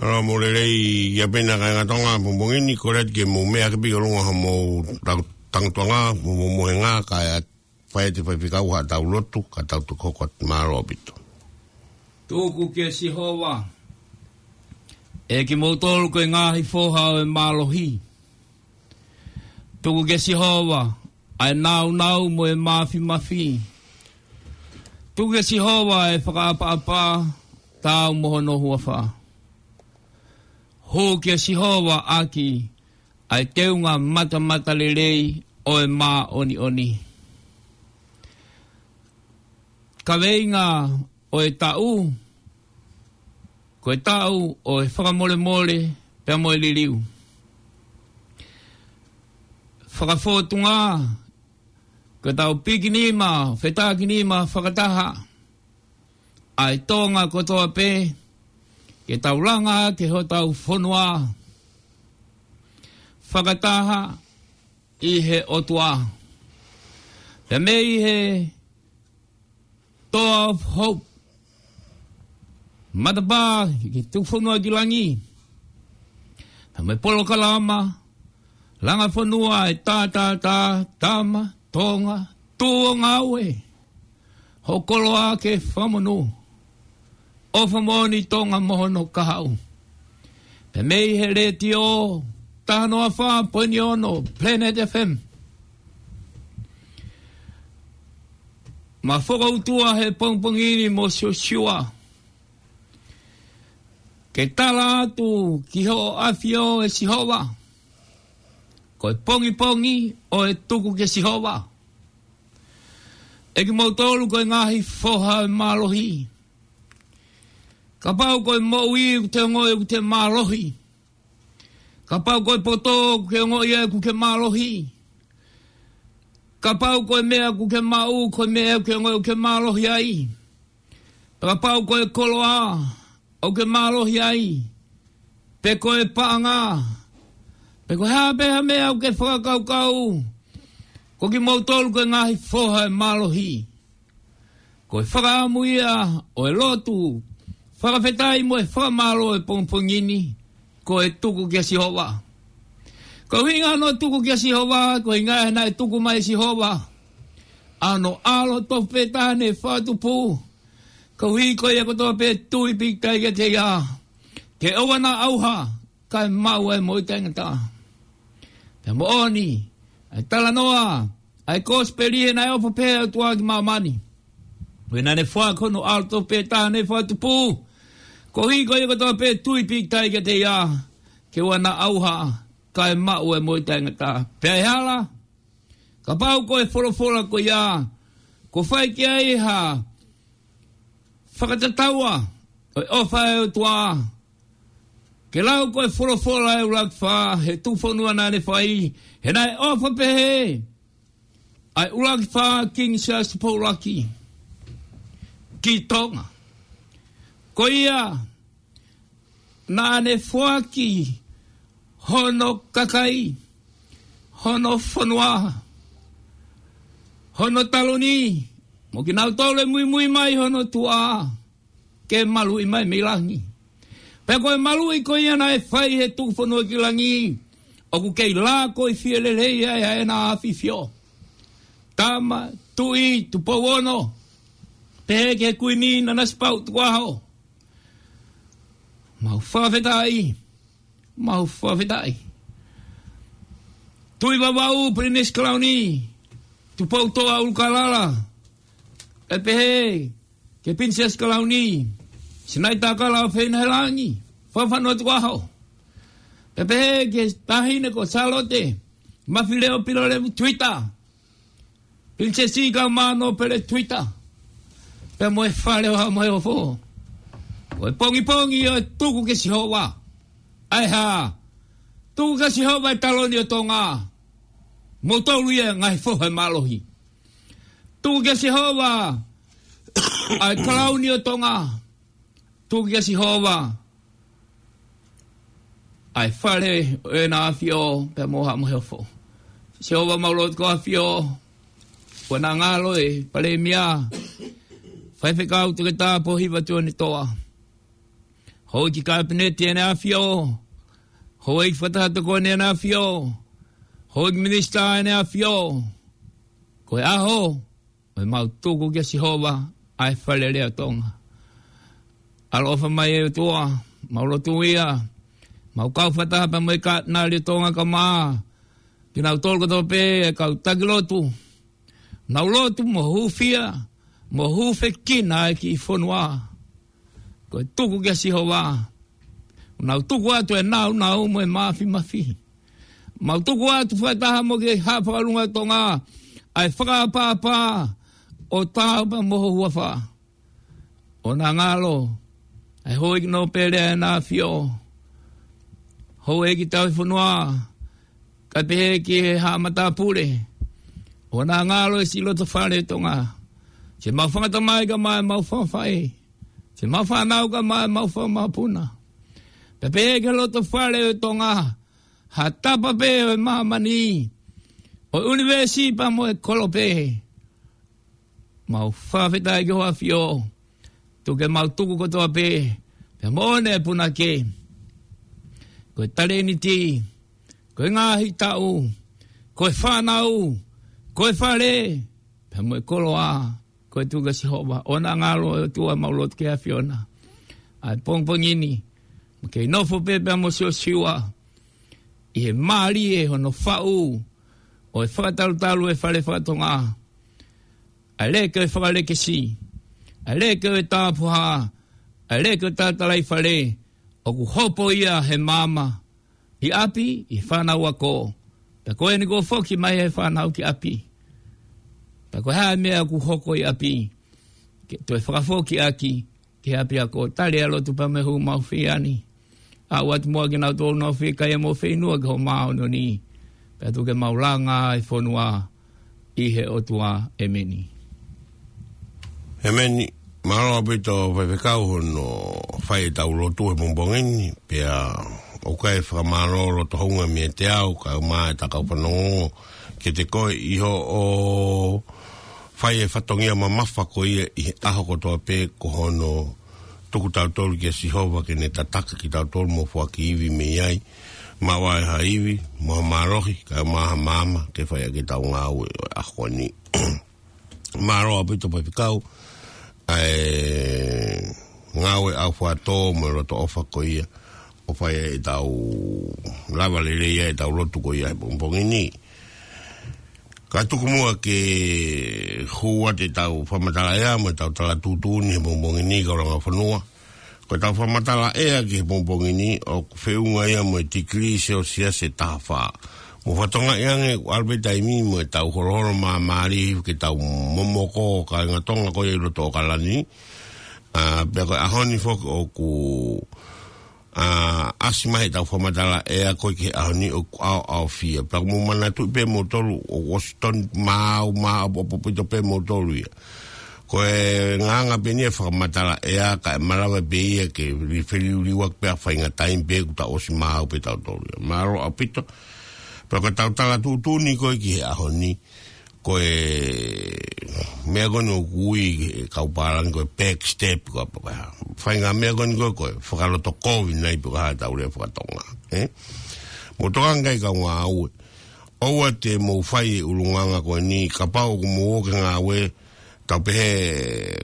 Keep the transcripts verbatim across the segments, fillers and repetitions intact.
Mālō mo e lelei ia pē ʻena kāinga Tonga, pongipongi ni, kole atu ke mou meʻa hake pē ki ʻolunga hoʻomou tau-, tangutuʻanga, mo e mohenga, kae fai atu e faifekau haʻatau lotu, ka tau toki hoko atu. Mālō ʻaupito. Tuku kia Sihova, ʻe kimoutolu ko e ngaahi foha ʻo e mālohi. Tuku kia Sihova ʻa e nāunau mo e māfimafi. Tuku kia Sihova ʻa e fakaʻapaʻapa, taau mo hono huafa. Hū kia Sihova ʻaki ʻa e teunga matamatalelei ʻo e māʻoniʻoni. Kaveinga ʻo e taʻu, ko e taʻu ʻo e fakamolemole pea mo e liliu. Fakafōtunga, ko ʻetau pikinima, fetākinima fakataha ʻa e Tonga kotoa pē, ke tau langa ʻaki hotau fonua fakataha ʻi he ʻOtua. Pea mei he Toa of Hope, matapā ki he tuku fonua ki langi. Pea mo e polokalama langa fonua ʻa e tā, tā, tā, tama Tonga, tuʻu ʻo ngāue, hoʻo koloa ke fakamonū. ʻOfa moʻoni Tonga mo hono kahaʻu. Pea mei he letiō, taha noa fā poini ono, Planet F M. Ma fokoutua he pongipongi ni mo Siosiua, ke tala atu ki hoʻo ʻAfio ʻe Sihova, ko e pongipongi ʻo e tuku kia Sihova. ʻE kimoutolu ko e ngaahi foha ʻo e mālohi. Kapau ko e moʻui ʻoku te ongoʻi ʻoku te mālohi. Kapau ko e poto ʻoku ke ongoʻi ai ʻoku ke mālohi. Kapau ko e meʻa ʻoku ke maʻu, ko e meʻa ʻoku ke ongoʻi ʻoku ke mālohi ai. Kapau ko e koloa ʻoku ke mālohi ai, pe ko e paʻanga, pe ko e hā pē ha meʻa ʻoku ke fakakaukau, ko kimoutolu ko e ngaahi foha ʻo e mālohi. Ko e fakaʻamu ia ʻo e lotu fakafetaʻi mo e fakamālō ʻo e pongipongi ni, ko e tuku kia Sihova. Ko e ʻuhinga hono tuku kia Sihova, ko e ʻuhinga he naʻe tuku mai ʻe Sihova ʻa hono ʻAlo tofu pē taha naʻe fakatupu, koeʻuhi ko ia kotoa pē ʻe tui pīkitai kiate ia, ke ʻoua naʻa ʻauha, kae maʻu ʻa e moʻui taʻengata. Pea moʻoni ʻa e talanoa ʻa e kosipeli, he naʻe ʻofa pehē ʻa e ʻOtua ki māmani, ko ia naʻa ne foaki hono ʻAlo tofu pē taha naʻe fakatupu, koeʻuhi ko ia kotoa pē ʻe tui pīkitai kiate ia, ke ʻoua naʻa ʻauha, kae maʻu ʻa e moʻui taʻengata. Pea ʻe hala, kapau ko e folofola ko ia kuo fai ki ai ha fakatataua ʻo e ʻofa ʻa e ʻOtua, ke lau ko e folofola ʻa e ʻUluaki Fā he tuku fonua naʻa ne fai, he naʻe ʻofa pehē ʻa e ʻUluaki Fā, Kingi Siaosi Tupou ʻUluaki, ki Tonga. Ko ia naʻa ne foaki hono kakai, hono fonua, hono taloni, mo kinautolu ʻe muimui mai hono tuʻa, ke maluʻi mai mei langi. Pea ko e maluʻi ko ia naʻe fai he tuku fonua ki langi, ʻoku kei lākoifie lelei ai ʻa ʻEna ʻAfifio. Tama Tuʻi Tupou Ono, pehē ki he Kuini Nanasipauʻu Tukuʻaho. Mau fakafetaʻi, mau fakafetaʻi. Tuʻi Vavaʻu, Pilinisi Kalauni Tupoutoʻa ʻUlukalala, ʻe pehē ki he Pilinisesi Kalauni Sinaitakala ʻOfeina Helangi Fakafanua Tukuʻaho, ʻe pehē ki he Taʻahine ko Sālote Mafileʻo Pilolevu Tuita, Pilinisesi Kaumānōpele Tuita, pea mo e Fale ʻo Haʻa Moheofo. Ko e pongipongi ʻo e tuku kia Sihova. ʻA e hā? Tuku kia Sihova e taloni ʻo Tonga. Moutolu ia ngaahi foha ʻo e mālohi. Tuku kia Sihova ʻa e kalauni ʻo Tonga. Tuku kia Sihova ʻa e Fale ʻo ʻEna ʻAfio pea mo Haʻa Moheofo. Sihova, mau lotu ki ho ʻAfio, ʻoua naʻa ngalo e Palēmia, Faifekau Toketā Pōhiva Tuʻanetoa. Houʻeiki Kapineti ʻEne ʻAfio. Houʻeiki Fakataha Tokoni ʻEne ʻAfio. Houʻeiki Minisitā ʻEne ʻAfio. Ko e ʻaho ʻo ʻemau tuku kia Sihova ʻa e Fale Alea ʻo Tonga. ʻAloʻofa mai ʻe ʻOtua, mau lotu ia, mau kau fakataha pea mo e Katinali ʻo Tonga kaeʻumaʻā kinautolu kotoa pē ʻa e kau taki lotu. Nau lotu mo hūfia, mo hūfekina ʻa e kiʻi fonua. Ko e tuku kia Sihova. Nau tuku atu e nāunau mo e māfimafi. Mau tuku atu fakataha mo e kau fakalunga ʻo Tonga ʻa e fakaʻapaʻapa ʻo taau pea mo ho huafa. ʻOua naʻa ngalo ʻa e Houʻeiki Nōpele ʻEne ʻAfio, Houʻeiki Tauhi Fonua, kae pehē ki he haʻa matāpule. ʻOua naʻa ngalo e siʻi loto fale ʻo Tonga. Siʻemau fanga tamai kae ʻumaʻā ʻemau fanga faʻē. Siʻemau fānau kae ʻumaʻā ʻemau fanga mokopuna. Pea pehē ki he loto fale ʻo Tonga, ha tapa pē ʻo e māmani, ʻo e ʻunivēsi pea mo e kolope. Mau fakafetaʻi ki ho ʻAfio, tuku ke mau tuku kotoa pē, pea mo ʻEne punake. Ko e talēniti, ko e ngaahi taʻu, ko e fānau, ko e fale, pea mo e koloa, ko e tuku kia Sihova. ʻOua naʻa ngalo ʻe ʻOtua, mau lotu ki he ʻAfiona. ʻA e pongipongi ni, mo ke nofo pē pea mo Siosiua, ʻi he mālie hono faʻu ʻo e fakatalutalu ʻo e fale faka-Tonga. ʻA e leke ʻo e fakalekesi, ʻa e leke ʻo e tāpuhā, ʻa e leke ʻo e talatalaifale, ʻoku hopo ia he maama, ʻi ʻapi, ʻi he fānau ako. Pea ko eni kuo foki mai e fānau ki ʻapi. Pea ko e hā e meʻa ʻoku hoko ʻi ʻapi, ke toe fakafoki ʻaki ki he ʻapiako. Tali ʻa e lotu pea mo e hū mau fie ani. ʻAʻu atu muʻa kinautolu ʻoku nau fiekaia mo fieinua ki ho māʻoniʻoni. Pea tuku ke mau langa e fonua ʻi he ʻOtua. ʻEmeni. ʻEmeni. Mālō ʻaupito Faifekau hono fai ʻetau lotu he pongipongi ni. Pea ʻoku ou fakamālō loto houngaʻia meiate au kaeʻumaʻā ʻa e kau fanongo kiate koe ʻi hoʻo fai e fatongia mamafa ko ia ʻi he ʻaho kotoa pē, ko hono tuku tautolu kia Sihova ke ne tataki kitautolu mo foaki ivi mei ai, maʻu ai ha ivi mo ha mālohi kaeʻumaʻā ha maama ke fai ʻaki ʻetau ngāue ʻo e ʻaho ni. Mālō ʻaupito Faifekau ʻa e ngāue ʻaufuatō mo e loto ʻofa ko ia ʻo fai ai ʻetau lava lelei ai ʻetau lotu ko ia he pongipongi ni. Ka tuku muʻa ke hū atu ʻetau fakamatala ʻea mo ʻetau tala tuʻutuʻuni he pongipongi ni, kau langa fonua. Ko ʻetau fakamatala ʻea ki he pongipongi ni ʻoku feʻunga ia mo e tikilī Selsiasi ʻe taha fā. Mou fakatokangaʻi ange ʻoku ʻalu pē taimi mo ʻetau holoholo māmālie ke tau momoko kāinga Tonga ko ia ʻi loto ʻAokalani. ʻA, pea ko e ʻaho ni foki ʻoku ʻa, ʻasi mai ʻetau fakamatala ʻea ko ē ki he ʻaho ni ʻoku ʻaoʻaofia. Pea mou manatuʻi pē moutolu ʻoku ʻosi tonu maau, maau ʻaupito pē moutolu ia. Ko e ngaahi pē eni e fakamatala ʻea kae malava pē ia ke li-, feliuliuaki pē ʻa e faʻahinga taimi pē kuo tau ʻosi maau pē tautolu ia. Mālō ʻaupito. Pea ko ʻetau tala tuʻutuʻuni ko ē ki he ʻaho ni, ko e meʻa ko eni ʻoku ui ʻe he kau pālangi ko e backstep, ko e pa-, pa-, faʻahinga meʻa ko eni ko e, ko e fakalotokovi nai pe ko e hā ʻetau lea fakatonga, ē? Mou tokanga ki ai kau ngāue. ʻOua te mou fai e ʻulungaanga ko eni, kapau ʻoku mou ō ki he ngāue, tau pehē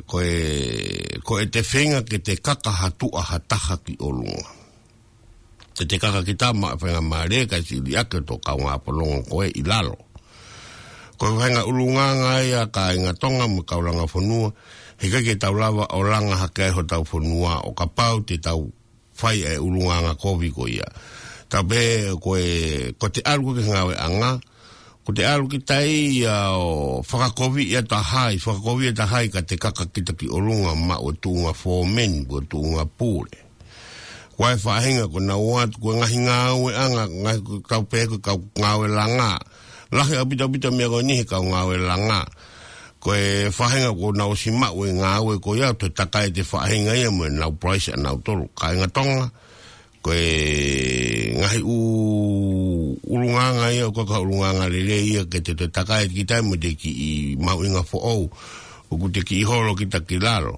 ko e, ko ʻete feinga ke te kaka ha tuʻa ha taha ki ʻolunga. Te te kaka kita maʻu e faingamālie kae siʻi liʻaki hoto kaungā fononga ko ē ʻi lalo. Ko e faʻahinga ʻulungaanga ia kāinga Tonga mo e kau langa fonua, heʻikai ke tau lava ʻo langa hake ai hotau fonua ʻo kapau te tau fai e ʻulungaanga kovi ko ia. Tau pehē ko e, ko ʻete ʻalu ko ē ki he ngāueʻanga, ko ʻete ʻalu kita ia ʻo fakakoviʻi ʻa e taha, fakakoviʻi ʻa e taha kae te kaka kita ki ʻolunga maʻu e tuʻunga fōmeni, ko e tuʻunga pule. Ko e faʻahinga ko ē naʻa nau ō atu, ko e ngaahi ngāueʻanga, ngaahi ko e kau pē ko e kau ngāue langa. Lahi ʻaupito ʻaupito meʻa ko eni he kau ngāue langa. Ko e faʻahinga kuo nau ʻosi maʻu e ngāue ko ia, toe takai ʻete faʻahinga ia mo ʻenau price ʻanautolu. Kāinga Tonga, ko e ngaahi ʻu-, ʻulungaanga ia, ʻoku ʻikai ko ha ʻulungaanga lelei ia ke te toe takai kita mo ʻete kiʻi mahuʻinga foʻou, ʻoku te kiʻi holo kita ki lalo.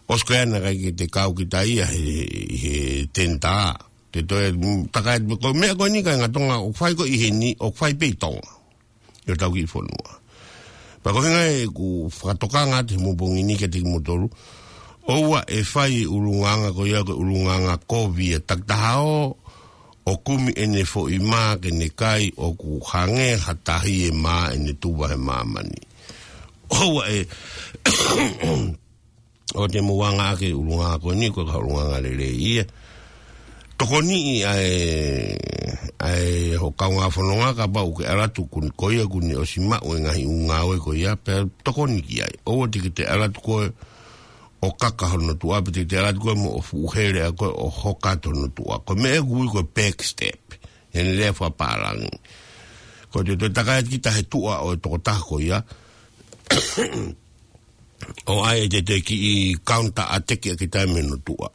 ʻOsi ko ia naʻe ʻikai ke te kau kita ia he, he tenta. Te toe, mm, takai atu ko e meʻa ko eni kāinga Tonga ʻoku fai ko ē ʻi heni, ʻoku fai pē ʻi Tonga. ʻI hotau kiʻi fonua. Pea ko e ʻuhinga ia ʻeku fakatokanga atu he pongipongi ni kiate kimoutolu. ʻOua ʻe fai e ʻulungaanga ko ia ko e ʻulungaanga kovi ia takitaha ʻo, ʻo kumi ʻene foʻi mā ke ne kai ʻoku hangē ha tahi e mā ʻene tuva he māmani. ʻOua ʻe ʻo te mou anga ake ʻulungaanga ko eni, ko e ʻulungaanga lelei ia. Tokoniʻi ʻa e, ʻa e hoʻo kaungā fononga kapau ʻoku ke ʻalu atu ko eni ko ia kuo ne ʻosi maʻu e ngaahi ʻū ngāue ko ia, pea tokoni ki ai. ʻOua te ke te ʻalu atu koe ʻo kaka hono tuʻa, pe te ke te ʻalu atu koe mo e fuʻu hele ʻa koe ʻo hoka atu hono tuʻa. Ko e meʻa ʻoku ui ko e backstep. He ʻene lea fakapālangi. Ko e te toe takai atu kita he tuʻa ʻo e tokotaha ko ia. ʻO ʻai ʻe te te kiʻi counter attack ʻa kita mei hono tuʻa.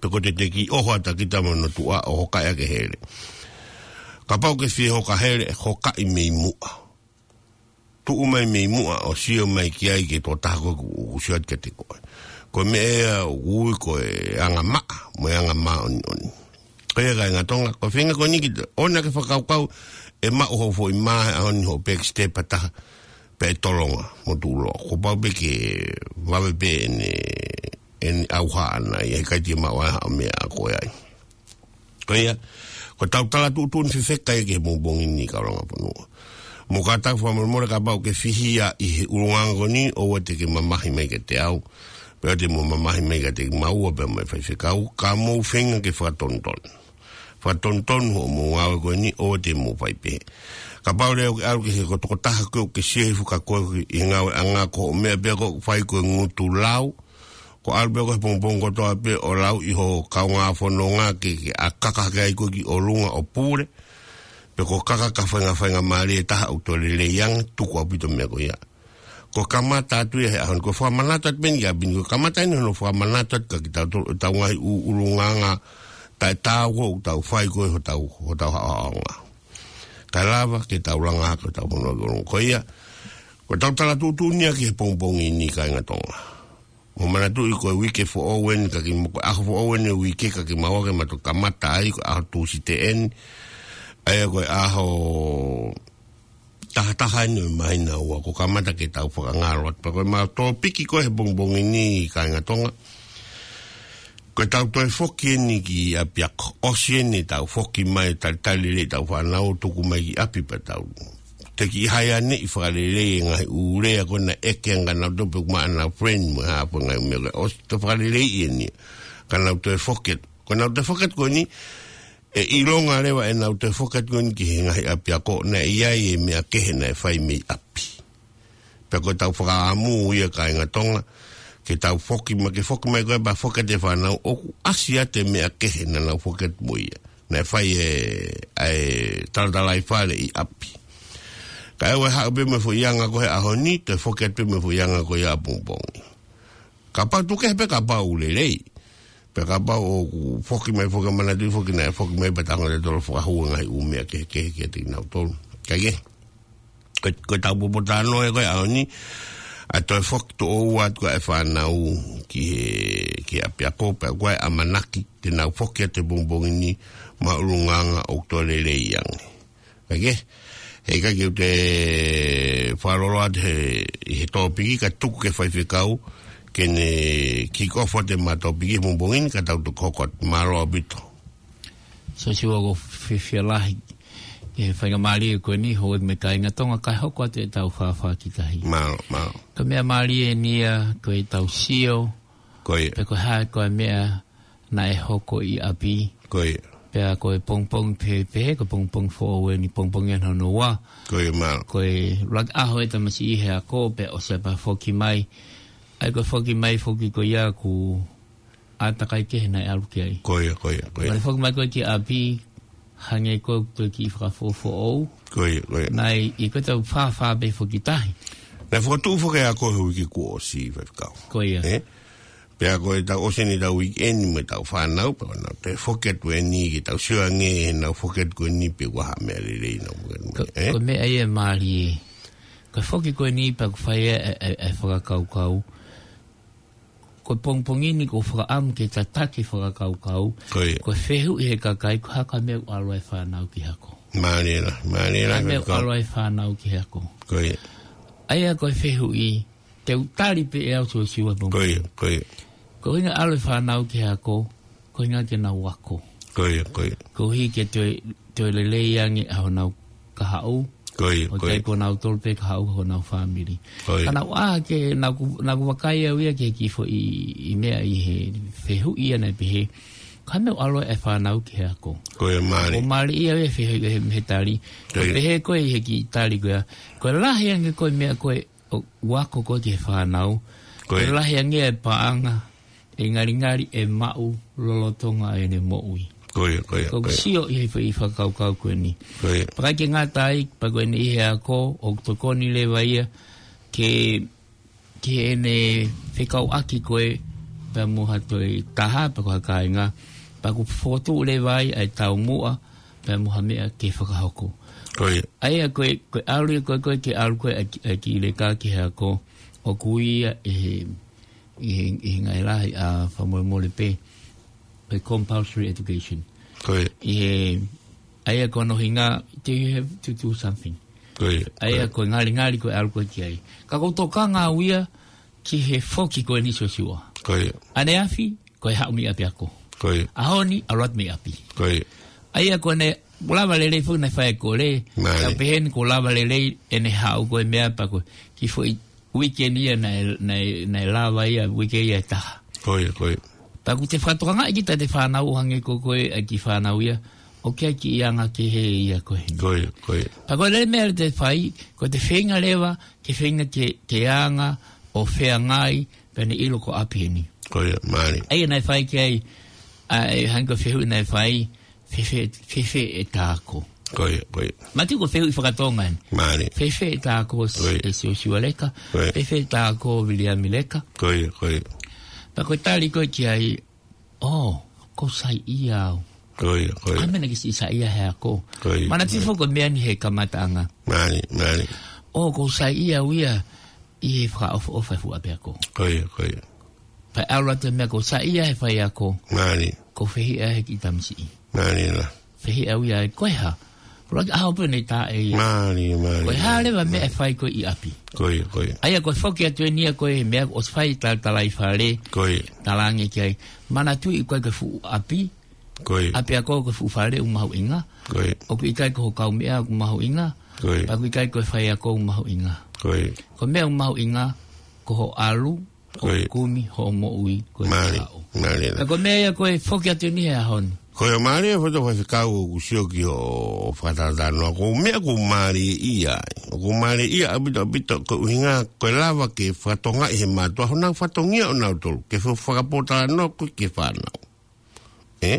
Pe ko e te te kiʻi ʻoho atu ʻa kita mei hono tuʻa ʻo hokaʻi ʻa e hele. Kapau ʻoku ke fie hoka hele, hokaʻi mei muʻa. Tuʻu mai mei muʻa ʻo sio mai ki ai ki he tokotaha ko ē ʻoku, ʻoku sio atu kiate koe. Ko e meʻa ia ʻoku ui ko e angamaʻa, mo e anga māʻoniʻoni. Ko ia kāinga Tonga, ko e feinga ko eni kita, ʻoua naʻa ke fakakaukau ʻe maʻu hoʻo foʻi mā he ʻaho ni hoʻo backstep ʻa taha, pea ʻe tolonga, mo tuʻuloa. Kuo pau pē ke vave pē ʻene, ʻene ʻauha ʻana, ʻe ʻikai te ke maʻu ai haʻo meʻa ʻa koe ai. Ko ia, ko ʻetau tala tuʻutuʻuni fefeka ia ki he pongipongi ni kāinga fonua. Mou kātaki fakamolemole kapau ʻoku ke fihia ʻi he ʻulungaanga ko eni, ʻoua te ke mamahi mai kiate au. Pea te mou mamahi mai kiate kimaua pea mo e faifekau, ka mou feinga ke fakatonutonu. Fakatonutonu hoʻomou ngāue ko eni, ʻoua te mou fai pehē. Kapau leva ʻoku ke ʻalu ki he ko e tokotaha ko ē ʻoku ke sio hifo kia koe ʻi he ngāueʻanga ko hoʻo meʻa pē ʻoku fai ko e ngutu lau, ko e ʻalu pē ko ē he pongipongi kotoa pē ʻo lau ʻi hoʻo kaungā fononga ke, ke ʻā kaka hake ai koe ki ʻolunga ʻo pule. Pe ko e kaka ki ha fainga, faingamālie ʻe taha ʻoku toe lelei ange, tuku ʻaupito e meʻa ko ia. Ko e kamata atu ia he ʻaho ni, ko e fakamanatu atu pē eni ki ʻapi ni, ko e kamata eni hono fakamanatu atu kia kitautolu ʻetau ngaahi ʻū ʻulungaanga taʻetaau ʻoku tau fai ko ē hotau, hotau haʻohaʻonga. Kae lava ke tau langa hake hotau fonua ki ʻolunga. Ko ia, ko ʻetau tala tuʻutuʻuni ia ki he pongipongi ni kāinga Tonga. Mou manatuʻi ko e uike foʻou eni ka ki mo ko e ʻaho foʻou eni uike ka kimaua ke ma toki kamata ai ko e ʻaho Tūsite eni. ʻA ia ko e ʻaho taha taha eni ʻo e māhina ua kuo kamata ke tau fakangalo atu. Pea ko ʻemau tōpiki ko ē he pongipongi ni kāinga Tonga. Ko ʻetau toe foki eni ki ʻapiako. ʻOsi eni ʻetau foki mai talitali lelei ʻetau fānau tuku mai ki ʻapi pea tau te kiʻi haianeʻi fakalelei e ngaahi ʻū lea ko ē naʻe ʻeke ange kia nautolu pe ʻoku maʻa ʻenau friend mo e hā pē ngaahi meʻa ko ē. ʻOsi toe fakaleleiʻi eni. Ka nau toe foki atu. Ko ʻenau toe foki atu ko eni, ʻe ʻilonga leva ʻenau toe foki atu ko eni ki he ngaahi ʻapiako naʻe ʻi ai e meʻa kehe naʻe fai mei ʻapi. Pea ko ʻetau fakaʻamu ia kāinga Tonga, ke tau foki mai, ke foki mai ko ē pea foki atu e fānau ʻoku ʻasi atu e meʻa kehe naʻa nau foki atu mo ia. Naʻe fai e, ʻa e talatalaifale ʻi ʻapi. Kae ʻoua ʻe haʻu pē mo e foʻi anga ko ē he ʻaho ni, toe foki atu pē mo e foʻi anga ko ē ʻapongipongi. Kapau tuku kehe pē kapau ʻoku lelei. Pea kapau ʻoku foki mai, foki mai, manatuʻi foki naʻe foki mai pea tau hanga ʻe tautolu ʻo fakahū e ngaahi ʻū meʻa kehekehe kiate kinautolu. Kae kehe. Ko, ko ʻetau poupou talanoa ia ko ē he ʻaho ni, ʻa e toe foki tuʻo ua atu ʻa e fānau ki he, ki he ʻapiako pea ko e ʻamanaki te nau foki atu he pongipongi ni mo e ʻulungaanga ʻoku toe lelei ange. Kae kehe, he ʻikai ke u toe fakalolo atu he, ʻi he tōpiki ka tuku ki he faifekau, ke ne kick off atu ʻema tōpiki he pongipongi ni ka tau toki hoko atu. Mālō ʻaupito. Siosiua, ʻoku ou fiefia lahi ki he faingamālie ko eni, houʻeiki mo e kāinga Tonga, kae hoko atu ʻetau fāfā ki tahi. Mālō, mālō. Ko e meʻa mālie eni ia, ko ʻetau sio, Ko ia. pe ko e hā, ko e meʻa naʻe hoko ʻi ʻapi. Ko ia. Pea ko e pongipongi pehē, pehē, ko e pongipongi foʻou eni, pongipongi ʻe hono ua. Ko ia, mālō. Ko e ʻuluaki ʻaho e tamasiʻi he ako, pea ʻosi pea foki mai. ʻA ia ko e foki mai foki ko ia ʻoku ʻātakai kehe naʻe ʻalu ki ai. Ko ia, ko ia, ko ia. Pea foki mai ko ē ki ʻapi, hangē ko ē ko e kiʻi fakafoʻofoʻou. Ko ia, ko ia. Naʻe ʻi ai ko ʻetau fāfā pē foki tahi. Naʻe fokotuʻu foki e ako he uike kuo ʻosi, faifekau. Ko ia. Ē? Pea ko ʻetau ʻosi eni ʻetau uike ni mo ʻetau fānau, pea ko ʻenau toe foki atu eni ke tau sio ange ʻenau foki atu ko eni pe ʻoku ʻi ai ha meʻa lelei ʻenau foki atu. Ko, ē? ko e meʻa ia ʻe mālie. Ko e foki ko eni pea ʻoku fai e, e, e, e fakakaukau. ko e pongipongi ni ʻoku ou fakaʻamu ke tataki fakakaukau. Ko ia. Ko e fehuʻi he kakai, ko e hā e meʻa ʻoku ʻalu ai e fānau ki he ako. Mālie lā, mālie lā, Ka e meʻa ʻoku ʻalu ai e fānau ki he ako. Ko ia. ʻA ia ko e fehuʻi, te u tali pē ʻe au Siosiua pongipongi. Ko ia, ko ia. Ko e ʻuhinga ʻalu e fānau ki he ako, ko e ʻuhinga ke nau ako. Ko ia, ko ia. Koeʻuhi ke toe, toe lelei ange ʻa honau kahaʻu. Ko ia, ʻO ko ia. ʻikai ko kinautolu pē kahaʻu, ko honau fāmili. Ko ia. Ka naʻá ku ʻā ke, naʻá ku, naʻá ku vakai au ia ki he kiʻi foʻi, ʻi meʻa ʻi he fehuʻi ia naʻe pehē, ko e hā e meʻa ʻoku ʻalu ai e fānau ki he ako. Ko ia mālie. ʻOku mālie ia e fehuʻi he, he tali. Ko ia. Pehē ko ē ʻi he kiʻi tali ko ia. Ko e lahi ange ko e meʻa ko ē ʻoku ako ko ē ki he fānau. Ko ia. Ko e lahi ange e paʻanga ʻe ngalingali ʻe maʻu lolotonga ʻene moʻui. Ko ia, ko ia, Ko ʻeku ko ia. sio ʻi he foʻi fakakaukau ko eni. Ko ia. Pea ʻikai ke ngata ai, pea ko eni ʻi he ako, ʻoku tokoni leva ia ke, ki heʻene fekauʻaki ko ē, pea mo ha toe taha, pea ko ha kāinga, pea ʻoku fokotuʻu leva ai ʻa e taumuʻa, pea mo ha meʻa ke fakahoko. Ko ia. ʻA ia ko e, ko e ʻalu ia ko ē, ko ē ke ʻalu ko ē ʻa e ki-, ʻa e kiʻi leka ki he ako, ʻoku ui ia ʻe he, ʻi he, ʻi he ngaahi lahi ʻa fakamolemole pē, ko e compulsory education. Ko ia. ʻI he, ʻa ia ko hono ʻuhinga, te you have to do something. Ko ia, ʻA ia ko ia. ko e ngalingali ko e ʻalu ko ē ki ai. Ka ʻoku ou tokanga au ia ki he foki ko eni Siosiua. Ko ia. ʻAneafi, ko e haʻu mei ʻapiako. Ko ia. ʻAho ni, ʻalu atu mei ʻapi. Ko ia. ʻA ia ko ʻene lava lelei foki naʻe fai e kole, Mālie. ka pehē ni kuo lava lelei ʻene haʻu ko e meʻa pea ko e kiʻi foʻi uike ni ia naʻe, naʻe, naʻe lava ia, uike ia ʻe taha. Ko ia, ko ia. Pea ʻoku te fakatokangaʻi kita ʻete fānau ʻo hangē ko ē ko e kiʻi fānau ia, ʻoku ʻi ai e kiʻi anga kehe ia ko ē. Ko ia, ko ia. Pea ko e lele meʻa leva te fai, ko ʻete feinga leva, ke feinga ke, ke anga, ʻo feangai, pea ne ʻilo ko ʻapi eni. Ko ia, mālie. ʻA ia naʻe fai ki ai, ʻa e hangē ko e fehuʻi naʻe fai, fēfē, fēfē ʻeta ako. Ko ia, ko ia. Manatuʻi ko e fehuʻi fakatonga eni. Mālie. Fēfē ʻeta ako s-, Ko ia. ʻe Siosiua Leka. Ko ia. Fēfē ʻeta ako Viliami Leka. Ko ia, ko ia. Pea ko e tali ko ē ki ai, ʻō, ʻoku ou saiʻia au. Ko ia, ko ia. ʻA e meʻa naʻe kei siʻi saiʻia he ako. Ko ia, Manatuʻi ko ia. foki ko e meʻa ni he kamataʻanga. Mālie, mālie. ʻŌ, ʻoku ou saiʻia au ia ʻi he fakaʻofoʻofa e fuʻu ʻapiako. Ko ia, ko ia. Pea ʻalu atu e meʻa ʻoku ou saiʻia he faiako. Mālie. ʻOku ou fehiʻa he kiʻi tamasiʻi. Mālie lā. Fehiʻa au ia ʻe ko e hā. Pulaki ʻaho pē ne tā ʻe ia. Mālie, mālie. Ko e hā leva e meʻa ʻe fai ko ē ʻi ʻapi. Ko ia, ko ia. ʻA ia ko e foki atu eni ia ko e meʻa ʻoku fai talatalaifale. Ko ia. Talaange ki ai. Manatuʻi ko e ko e fuʻu ʻapi. Ko ia. ʻApiako ko e fuʻu fale ʻoku mahuʻinga. Ko ia. ʻOku ʻikai ko ho kaumeʻa ʻoku mahuʻinga. Ko ia. Pea ʻoku ʻikai ko e faiako ʻoku mahuʻinga. Ko ia. Ko e meʻa ʻoku mahuʻinga, ko hoʻo ʻalu, Ko ia. ʻo kumi hoʻo moʻui ko e Mālie, kahaʻu. mālie lā. Ka ko e meʻa ia ko e foki atu eni he ʻaho ni. Ko ia mālie foto faifekau ʻoku sio ki hoʻo fakatātā noa. Ko e meʻa ʻoku mālie ia. ʻOku mālie ia ʻaupito, ʻaupito, ko e ʻuhinga, ko e lava ke fakatokangaʻi he mātuʻa, honau fatongia ʻonautolu. Ke fa-, fakapōtalanoa ko ē ki he fānau. Ē?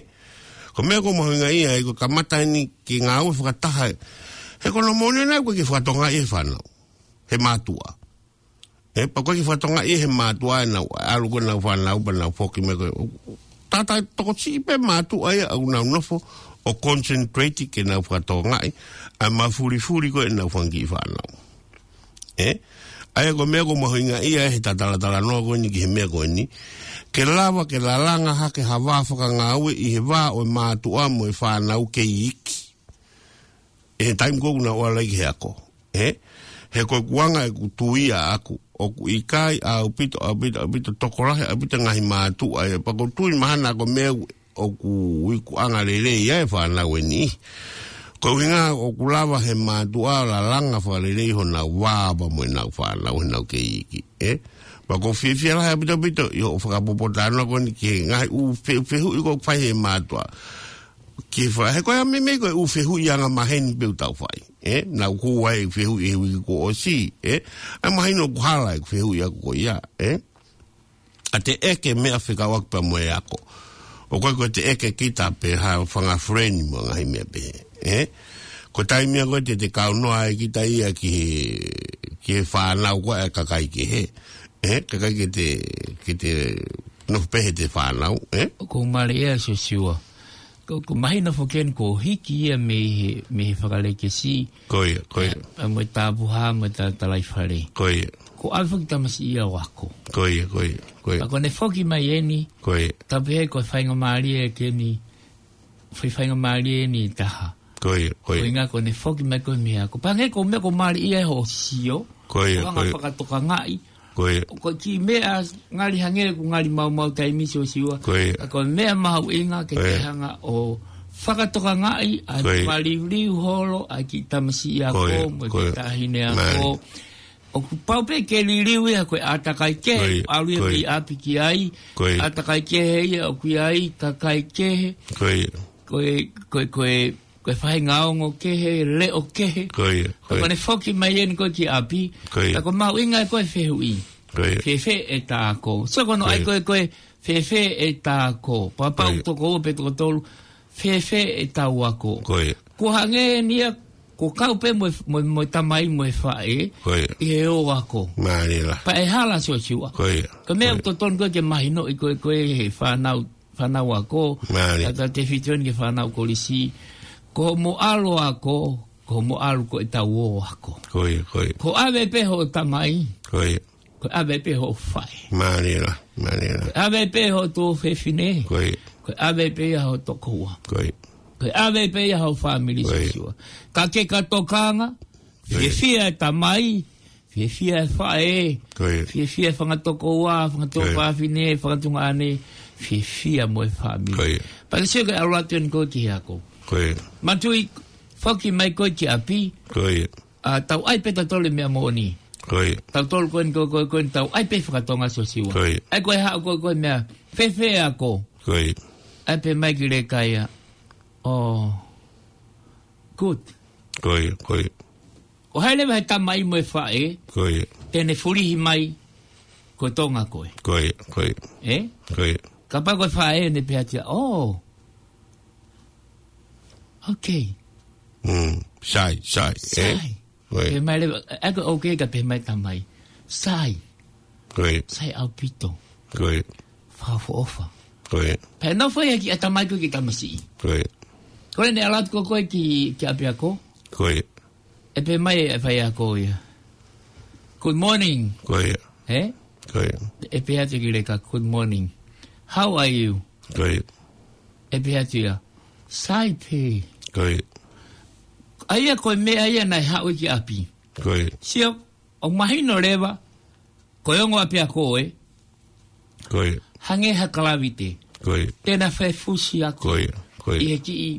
Ko e meʻa ʻoku mahuʻinga ia, ʻa ia ko e kamata eni ke ngāue fakataha. He ko hono moʻoni ʻoku ʻikai ke fakatokangaʻi he fānau. He mātuʻa. Ē, pea ʻoku ʻikai ke fakatokangaʻi he mātuʻa ʻenau, ʻalu ko ē ʻenau fānau, pea nau foki mai ko ē. Tata tokosiʻi pē mātuʻa ia ʻoku nau nofo, ʻo concentrate ke nau fakatokangaʻi, ʻa e mafulifuli ko ē ʻenau fanga kiʻi fānau. Ē? ʻA ia ko e meʻa ʻoku mahuʻinga ia he talatalatalanoa ko eni ki he meʻa ko eni. Ke lava, ke lalanga hake ha vā fakangāue ʻi he vā ʻo e mātuʻa mo e fānau kei iiki. ʻI he taimi ko ē ʻoku nau ʻalu ai ki he ako. Ē? He ko ʻeku anga ʻeku tui ʻaʻaku. ʻOku ʻikai ʻaupito, ʻaupito, ʻaupito tokolahi, ʻaupito ngaahi mātuʻa. Ē, pea ʻoku ou tui mahalo ko e meʻa ʻoku ikuʻanga lelei ai e fānau eni. Ko e ʻuhinga ʻoku lava he mātuʻa lalanga fakalelei honau vā pea mo ʻenau fānau heʻenau kei iiki. Ē? Pea ʻoku ou fiefia lahi ʻaupito, ʻaupito, ʻi hoʻo fakapōtalanoa ko eni ki he ngaahi ʻū fe-, fehuʻi ʻoku fai he mātuʻa. Ke fa-, he ko e meimei ko e ʻū fehuʻi angamaheni pē ʻoku tau fai. Ē? Naʻá ku ʻai e fehuʻi he uike kuo ʻosi. Ē? ʻA ia mahino ʻoku hala e fehuʻi ʻaʻaku ko ia. Ē? ʻA e teʻeki meʻa fekauʻaki pea mo e ako. ʻOku ʻikai ko e teʻeki kita pe ha fanga friend mo e ngaahi meʻa pehē. Ē? Ko e taimi ia ko ē te te kaunoa ai kita ia ki he, ki he fānau ko ē ʻa e kakai kehe. Ē? Kae ʻikai ke te, ke te nofo pehē he fānau. Ē? ʻOku mālie ia Siosiua. Ko, ko mahino foki eni ko hiki ia mei he, mei he fakalekesi. Ko ia, ko ia. Ē, mo e tāpuhā, mo e ta-, talaifale. Ko ia. Ko ʻave foki tamasiʻi ia ʻo ako. Ko ia, ko ia, ko ia. Ka ko ʻene foki mai eni. Ko ia. Tapu he ko e faingamālie ʻeni. Fai faingamālie ʻeni taha. Ko ia, ko ia. Ko e ʻuhinga ko ʻene foki mai ko e meʻa ko. Pangē ko e meʻa ko mālie ia hoʻo sio. Ko ia, ko e anga fakatokangaʻi. Ko ia. Ko e kiʻi meʻa ngali hangē ʻoku ngali maumau taimi Siosiua. Ko ia. Ka ko e meʻa mahuʻinga ke ke hanga ʻo fakatokangaʻi ʻa e fakaliuliu holo ʻa e kiʻi tamasiʻi ako mo e kiʻi taʻahine ako. ʻOku pau pē ke liliu ia ko e ʻātakai kehe, ʻalu ia mei ʻapi ki ai, ʻātakai kehe ia ʻoku ʻi ai, kakai kehe. Ko e, ko e, ko e, ko e faʻahinga ongo kehe, leʻo kehe. Ko ia, ko ia. Ka ko ʻene foki mai eni ko e ki ʻapi. Ko ia. Ka ko e mahuʻinga ko e fehuʻi. Ko ia. Fēfē ʻeta ako. So ko hono ʻai ko e, ko e fēfē ʻeta ako. Pea pau toko ua pe toko tolu. Fēfē ʻetau ako. Ko ia. Ko e hangē eni ia, ko e kau pē mo e, mo e, mo e tamai mo e faʻē. Ko ia. ʻI he ō ako. Mālie lahi. Pea ʻe hala Siosiua. Ko ia. Ko e meʻa ʻoku totonu ko e ke mahinoʻi ko e, ko e he fānau fānau ako, tata te fitoni ke fānau kolisi, ko hoʻomo ʻalu ako, ko hoʻomo ʻalu ko ʻetau ō ako. Ko ia, ko ia. Ko e ʻave pē hoʻo tamai. Ko ia. Ko e ʻave pē hoʻo faʻē. Mālie lahi, mālie lahi. Ko e ʻave pē hoʻo tuofefine. Ko ia. Ko e ʻave pē ia hoʻo tokoua. Ko ia. Ko e ʻave pē ia hoʻo fāmili Siosiua. Ka ke ka tokanga, fiefia e tamai, fiefia e faʻē, fiefia e fanga tokoua, fanga tuofefine, fanga tuongaʻane, fiefia mo e fāmili. Pea ke sio ke ʻalu atu eni ko e ki he ako. Mātuʻa, foki mai ko e ki ʻapi, ʻa, tau ʻai pē tautolu e meʻa moʻoni. Tautolu ko eni ko, ko, ko eni tau ʻai pē fakatonga Siosiua. ʻAi ko e haʻu ko, ko e meʻa, fēfē ako. ʻAi pē mai ki leka ia. Oh, good. Ko ia, ko ia. ʻO hai leva he tamai mo e faʻē, te ne fulihi mai, ko Tonga koe. Ko ia, ko ia. Ē? Ko ia. Kapau ko e faʻē ne pehē atu ia, oh. Okay. Mm, sai, sai, ē? Sai. Ko ia. Pehē mai leva, ʻa ko e okay ka pehē mai tamai. Sai. Ko ia. Sai ʻaupito. Ko ia. Fakaʻofoʻofa. Ko ia. Pea nofo ia ki ʻatamai ko e kiʻi tamasiʻi. Ko ia. Ko ʻene ʻalu atu ko, ko e ki, ki ʻapiako. Ko ia. ʻE pehē mai e faiako ia. Good morning. Ko ia. Ē? Ko ia. ʻE pehē atu ki leka, good morning. How are you? Ko ia. ʻE pehē atu ia. Sai pē. Ko ia. ʻA ia ko e meʻa ia naʻe haʻu ki ʻapi. Ko ia. Sio, ʻoku mahino leva, ko e ongo ʻapiako ē. Ko ia. Hangē ha kalavite. Ko ia. Te na fefusi ako. Ko ia, ko ia. ʻI he kiʻi,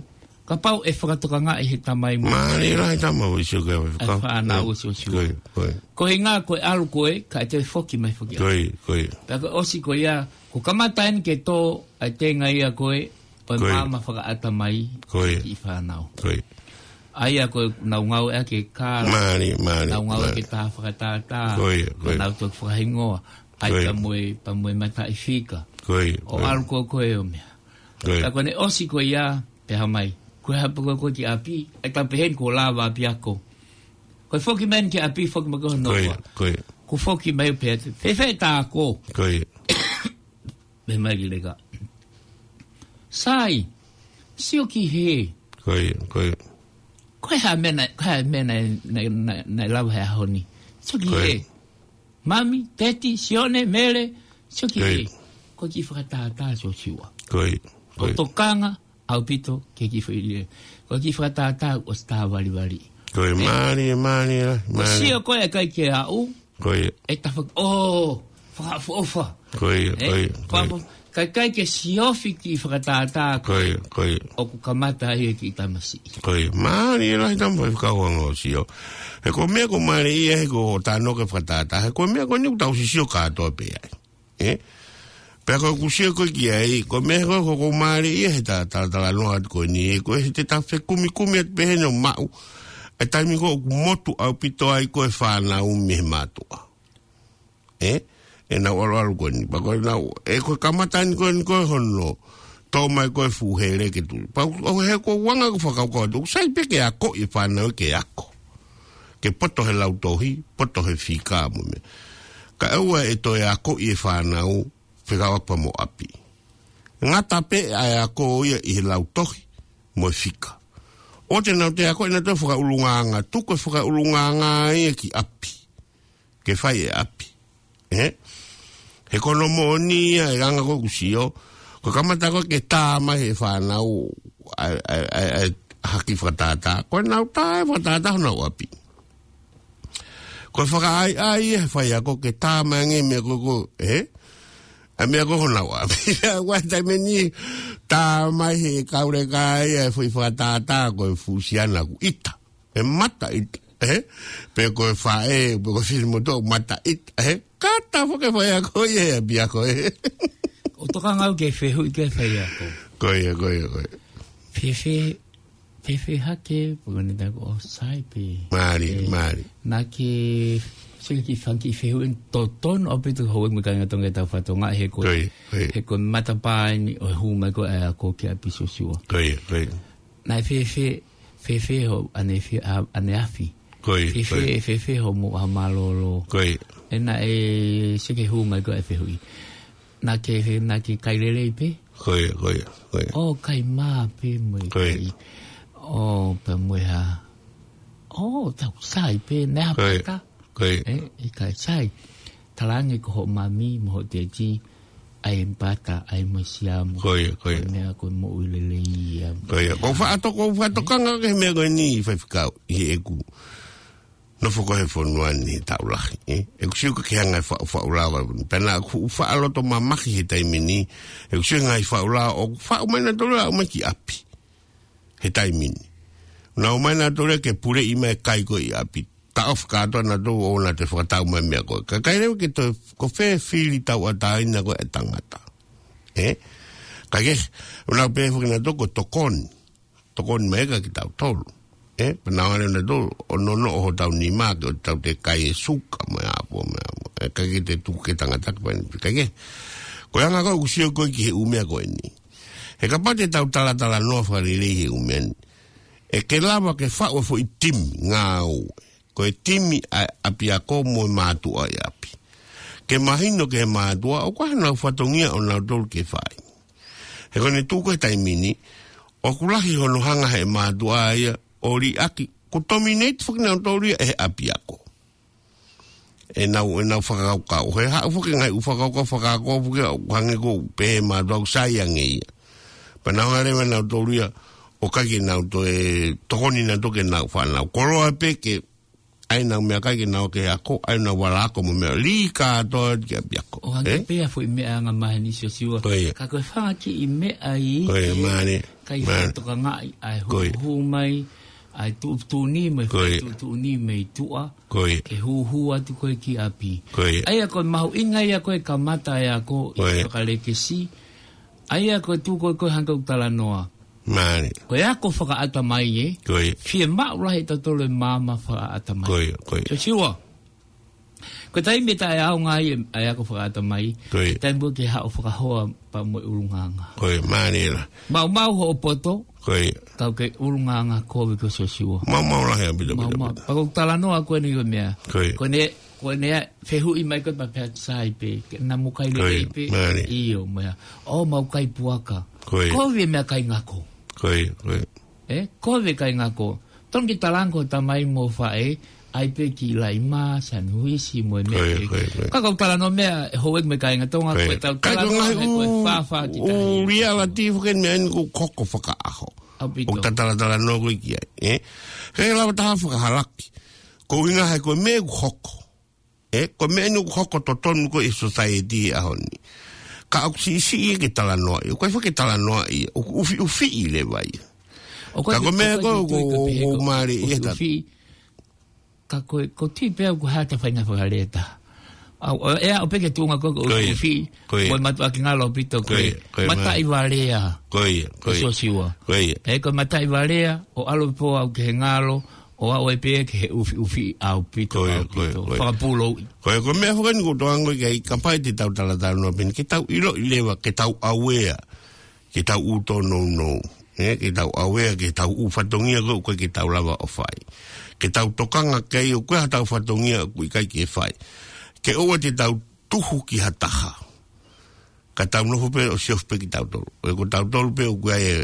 kapau ʻe fakatokangaʻi he tamai mo. Mālie lahi tamai ʻo sio ke ʻai fānau ʻo sio. Ko ia, ko ia. Ko e ʻuhinga ko e ʻalu ko ē, kae toe foki mai foki. Ko ia, ko ia. Pea ko e ʻosi ko ia, ko e kamata eni ke tō, ʻa e tenga ia ko ē, ʻo e maama fakaʻatamai, kiʻi fānau. Ko ia. ʻA ia ko e nau ngāueʻaki e kala. Mālie, mālie, nau ngāueʻaki e tā fakatātā. Ko ia, ko ia. Nau toki fakahingoa. ʻAi pea mo e, pea mo e mataʻifika. Ko ia, ko ia. ʻO ʻalu ko, ko e ʻo meʻa. Ko ia. Ka ko ʻene ʻosi ko ia, pehē mai. Ko e hapa ko, ko e ki ʻapi, ʻe tau pehē ni ko e lava ʻapiako. Ko e foki mai ki ʻapi, foki mai ko hono ua. Ko ia, ko ia. Ko e foki mai pē atu. Fēfē ʻeta ako. Ko ia. Pehē mai ki leka. Sai, sio ki hē. Ko ia, ko ia. Ko e hā e meʻa naʻe, ko e hā e meʻa naʻe, naʻe, naʻe, naʻe lava he ʻaho ni. Sio ki hē. Ko ia. Mami, Teti, Sione, Mele, sio ki hē. Ko ia. Ko e kiʻi fakatātā Siosiua. Ko ia, ko ia. Ko e tokanga, ʻaupito, ke kiʻi foʻi lea. Ko e kiʻi fakatātā, ʻosi tā valivali. Ko ia, mālie, mālie, mālie. Ko e sio ko ē ʻikai ke aʻu, Ko ia. ʻE tafaki, oh, fakaʻofoʻofa. Ko ia, ko ia, ko ia. Ka ʻikai ke siofi kiʻi fakatātā. Ko ia, ko ia. ʻOku kamata ai e kiʻi tamasiʻi. Ko ia. Mālie lahi tamai fakaʻuhinga ʻo sio. He ko e meʻa ko e mālie ia he ko e tano ke fakatātā. He ko e meʻa ko eni ʻoku tau sisio kātoa pē ai. Ē? Pea ko ʻeku sio ko ē ki ai, ko e meʻa ko ē ʻoku mālie ia he ta-, ta-, talanoa atu ko eni, ē, ko e he te ta fekumikumi atu pē heni ʻo maʻu. ʻE taimi ko ē ʻoku motu ʻaupito ai ko e fānau mei he mātuʻa. Ē? ʻEnau ʻaluʻalu ko eni. Pea ko ʻenau, ē ko e kamata ni ko eni ko e hono. Tō mai ko e fuʻu hele ke tuli. Pea ʻoku, ʻo he ko e anga ko e fakakaukau atu. ʻOku sai pē ke akoʻi e fānau ke ako. Ke poto he lautohi, poto he fika mo e meʻa. Kae ʻoua ʻe toe akoʻi e fānau, fekauʻaki pea mo ʻapi. Ngata pē ʻa e ako ia ʻi he lautohi mo e fika. ʻOua te nau toe ako ʻenautolu e fakaʻulungaanga, tuku e fakaʻulungaanga ia ki ʻapi ke fai ʻe ʻapi. Ē? He ko hono moʻoni ia e anga ko ē ʻoku sio, ko e kamata ko ē ke tā mai he fānau ʻa e, ʻa e, ʻa e, ʻa e haki fakatātā. Ko ʻenau tā e fakatātā honau ʻapi. Ko e fakaʻaiʻai ia he faiako ke tā mai ange e meʻa ko ē ko ē, ē? ʻA e meʻa ko ē honau ʻapi. Ua taimi ni tā mai he kauleka ia e foʻi fakatātā ko e fuʻu siana ʻoku ʻita. ʻE mata ʻita, ē? Pe ko e faʻē, pe ko e fili motu mata ʻita, ē? Kātaki foki e faiako ia he ʻapiako, ē? ʻOku tokanga au ki he fehuʻi ki he faiako. Ko ia, ko ia, ko ia. Fēfē, fēfē hake, pe ko e ngaahi meʻa ko ē ʻoku sai pē. Mālie, ē, mālie. Naʻa ke, sio ki he fanga kiʻi fehuʻi totonu ʻaupito houʻeiki mo e kāinga Tonga ʻi he tau fatongia he ko e, ko ia, ko ia, he ko e matapā eni ʻo e hū mai ko ē ʻa e ako ki ʻapi Siosiua. Ko ia, ko ia. Naʻe fēfē, fēfē hoʻo ʻanefi-, ʻa, ʻaneafi. Ko ia, fēfē, ko ia, fēfē hoʻo moʻua mālōlō. Ko ia. ʻE naʻe, sio ki he hū mai ko ē e fehuʻi. Naʻa ke, naʻa ke kai lelei pē? Ko ia, ko ia, ko ia. ʻO kai mā pē mo e, ko ia, kai. ʻO pē mo e hā. ʻO tau sai pē, naʻe hā pē ka. Ko ia. Ko ia. Ē, ʻikai sai. Talaange ko hoʻo mami mo hoʻo teti, ʻai e pata, ʻai mo e siamu. Ko ia, ko ia. Ko e meʻa ko e moʻui lelei ia. Ko ia. Ko e faʻato-, ko e faʻatokanga ki he meʻa ko eni Faifekau, ʻi heʻeku nofo ko ē he fonua ni he taʻu lahi, ē? ʻOku ou sio ki he ngaahi faʻu-, faʻu lava. Pea naʻa ku faʻa loto mamahi he taimi ni. ʻOku ou sio ki he ngaahi faʻu lava ʻoku faʻu mai ʻenautolu ʻo aʻu mai ki ʻapi he taimi ni. Naʻa nau ō mai ʻenautolu ke puleʻi mai e kai ko ē ʻi ʻapi. Taʻofi kātoa ʻenautolu ʻo nau toe fakatau mai e meʻa ko ē. Kae ʻikai leva ke toe, ko fē fili tauʻatāina ko ē e tangata. Ē? Kae kehe, ʻoku nau pehē foki ʻenautolu ko e tokoni. Tokoni mai ʻikai kitautolu. Ē? Pea nau ō leva ʻenautolu ʻo nonoʻo hotau nima ke ʻoua te tau toe kai e suka mo e ʻapo mo e ʻapo. Ē, ʻikai ke toe tuku ki he tangata ke fai ni. Kae kehe, ko e anga ko ē ʻoku ou sio ko ē ki he ʻū meʻa ko eni. He kapau te tau talatalanoa fakalelei he ʻū meʻa ni, ʻe ke lava ke faʻu e foʻi timi ngāue. Ko e timi ʻa e ʻapiako mo e mātuʻa ʻi ʻapi. Ke mahino ki he mātuʻa, ʻoku ʻi ai haʻanau fatongia ʻonautolu ke fai. He ko ʻene tuʻu ko ē he taimi ni, ʻoku lahi hono hanga he mātuʻa ia ʻo liʻaki, ʻoku dominate foki ʻenautolu ia ʻe he ʻapiako. ʻEnau, ʻenau fakakaukau. He haʻu foki e ngaahi ʻū fakakaukau, fakakaukau foki ʻoku hangē ko e pehē mātuʻa ʻoku sai ange ia. Pea nau hanga leva ʻenautolu ia ʻo ʻikai ke nau toe tokoni ʻenautolu ki heʻenau fānau. Koloa pē ke ʻai ʻenau meʻakai ke nau ō ki he ako, ʻai ʻenau vala ako mo e meʻa. Lī kātoa ki ʻapiako. ʻO hangē, ē? Pē ia e foʻi meʻa angamaheni Siosiua. Ko ia. Ka ko e fanga kiʻi meʻa ia. Ko ia, mālie. ʻIkai, mālie, fakatokangaʻi ʻa e, ko ia, hū, hū mai, ʻa e tuʻutuʻuni mai, ko ia, tuʻutuʻuni mei tuʻa. Ko ia. Ke hūhū atu ko ē ki ʻapi. Ko ia. ʻA ia ko e mahuʻinga ia ko ē kamata e ako, ko ia, ʻi he fakalekesi. ʻA ia ko e tuʻu ko ē ko ē hangē ko ʻeku talanoa. Mālie. Ko e ako fakaʻatamai ē. Ko ia. Fiemaʻu lahi ʻe tautolu e maama fakaʻatamai. Ko ia, ko ia. Siosiua. Ko e taimi ʻe taʻeʻaonga ai e, e ako fakaʻatamai. Ko ia. Taimi ko ē ke haʻu ʻo fakahoa pea mo e ʻulungaanga. Ko ia, mālie lā. Maumau hoʻo poto. Ko ia. Kau ki he ʻulungaanga kovi ko Siosiua. Maumau lahi ʻaupito, ʻaupito, maumau, ʻaupito. Pea ko ʻeku talanoa ko eni ko e meʻa. Ko ia. Ko ʻene, ko ʻene fehuʻi mai ko ē pea pehē sai pē, ke na mo kai lelei pē. Ko ia, mālie. ʻIo, meʻa. ʻO mau kai puaka. Ko ia. Kovi e meʻakai ngako. Ko ia, ko ia. Ē, kovi e kai ngako. Tonu ke talaange ko e tamai mo e faʻē, ʻai pē ki Laʻimā, Saniuisi, mo e meʻa. Ko ia, ko ia, ko ia. Ka ko ʻeku talanoa meʻa, houʻeiki mo e kāinga Tonga, ko ia, ko ʻetau talanoa he ko e fāfā ki tahi. Reality foki e meʻa eni ʻoku hoko fakaʻaho. ʻAupito. ʻOku ta talatalanoa ko ē ki ai, ē? He lava taha fakahalaki. Ko e ʻuhinga he ko e meʻa ʻoku hoko. Ē, ko e meʻa eni ʻoku hoko totonu ko ē ʻi he society he ʻaho ni. Ka ʻoku siʻisiʻi ke talanoaʻi, ʻoku ʻikai foki ke talanoaʻi, ʻoku ʻufiʻufiʻi leva ia. ʻOku ʻikai, ka ko e meʻa ʻoku ʻikai ko ē, ko e, ko e, ko e pehē ʻoku, ko e mālie ia ʻufiʻufiʻi. Ka ko e, ko e tui pē au ko e hā ʻeta faʻahinga fakalea ʻe taha. ʻA, ʻo, ʻe aʻu pē ki he tuʻunga ko ē ko e, ko ia, ʻufiʻufiʻi, ko ia, ko e mātuʻaki ngalo ʻaupito, ko ia, ko ia, mataʻi valea. Ko ia, ko ia. Siosiua. Ko ia. Ē, ko e mataʻi valea, ʻo ʻalu pē au ki he ngalo, ʻo aʻu ai pē ki he ʻufiʻufiʻi ʻaupito, ko ia, ko ia, ʻaupito. Ko ia. Fakapūlouʻi. Ko ia, ko e meʻa foki eni ʻoku ou tokanga ki ai, kapau te tau talatalanoa pē eni, ke tau ʻiloʻi leva, ke tau aware, ke tau ʻū tōnounou. Ē, ke tau aware, ke tau ʻū fatongia ko ē ʻoku ʻikai ke tau lava ʻo fai. Ke tau tokanga ki ai ʻoku ʻi ai haʻatau fatongia ʻoku ʻikai ke fai. Ke ʻoua te tau tuhu ki ha taha. Ka tau nofo pē ʻo siofi pē kitautolu. ʻE ko tautolu pē ʻoku ʻi ai e,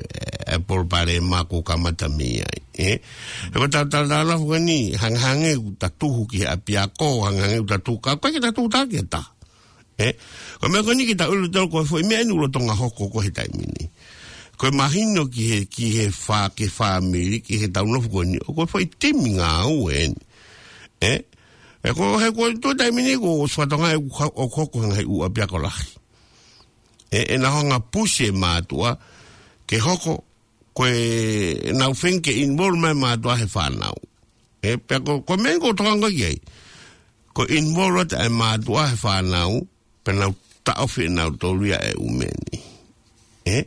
e palopalema ʻoku kamata mei ai. Ē? ʻE ko tau tala tala nofo ko eni, hangehangē ʻoku ta tuhu ki he ʻapiako, hangehangē ʻoku ta tuhu ka, ko e ke ta tuhu tā ke ta. Ē? Ko e meʻa ko eni ke ta ʻilo tau ko e foʻi meʻa eni ʻoku lolotonga hoko ko e he taimi ni. Ko e mahino ki he, ki he fā, ki he fāmili, ki he tau nofo ko eni, ʻo ko e foʻi timi ngāue eni. Ē? ʻE ko e he ko e tuʻu taimi ni ko e ʻosi fatongia ʻoku ha-, ʻoku hoko hangē ʻū ʻapiako lahi. Ē, ʻe na hanga pusi e mātuʻa, ke hoko, ko e nau feinga ke involve mai mātuʻa he fānau. Ē, pea ko, ko e meʻa ko e tokanga ki ai. Ko e involve atu e mātuʻa he fānau, pea nau taʻofi ʻe nautolu ia e ʻū meʻa ni. Ē?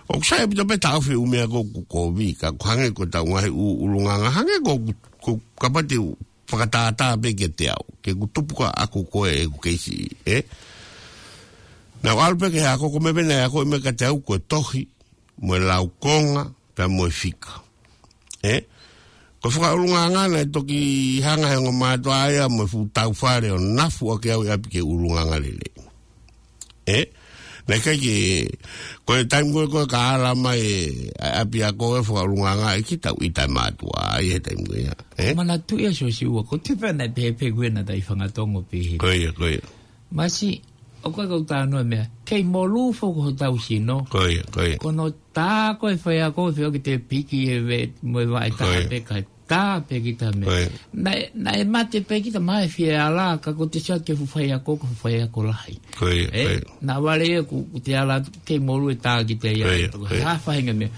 ʻOku sai ʻaupito pē taʻofi ʻū meʻa ko, ko, ko vika, ko hangē ko e tau ngaahi ʻū, ʻulungaanga, hangē ko, ko, kapau te u fakatātā pē kiate au, ke u tupu ka ʻaku ko e ʻeku keisi, ē? Nau ʻalu pē ki he ako, ko e meʻa pē naʻe ako mai kiate au ko e tohi, mo e laukonga, pea mo e fika. Ē? Ko e fakaʻulungaanga naʻe toki hanga he ongo mātuʻa ia mo e fuʻu tau fale ʻo nafu ʻaki au ʻi ʻapi ke ʻulungaanga lelei. Ē? Naʻe ʻikai ke, ko e taimi ko ē ko e ka ala mai e, ʻa e ʻapiako e fakaʻulungaanga ʻe ki tau ʻita e mātuʻa, ʻi he taimi ko ia. Ē? Manatuʻi ʻa Siosiua, ko e tefana pē pē ko ena tai fangatongo pē he. Ko ia, ko ia. Masi, ʻoku ʻikai ko e tānoa meʻa. Kei molū foki hotau sino. Ko ia, ko ia. Ko hono tā ko e faiako, feo ke te piki e ve, mo e vaʻe tā pē ka tā pē ki ta meʻa. Ko ia. Naʻe, naʻe mate pē ki ta mai fie ala, ka ko te sio ki he fuʻu faiako, ko e fuʻu faiako lahi. Ko ia, ē? Ko ia. Naʻa vale ia ku, ku te ala kei molū e tā ki te ia. Ko ia, ko ia. Hā faʻahinga meʻa.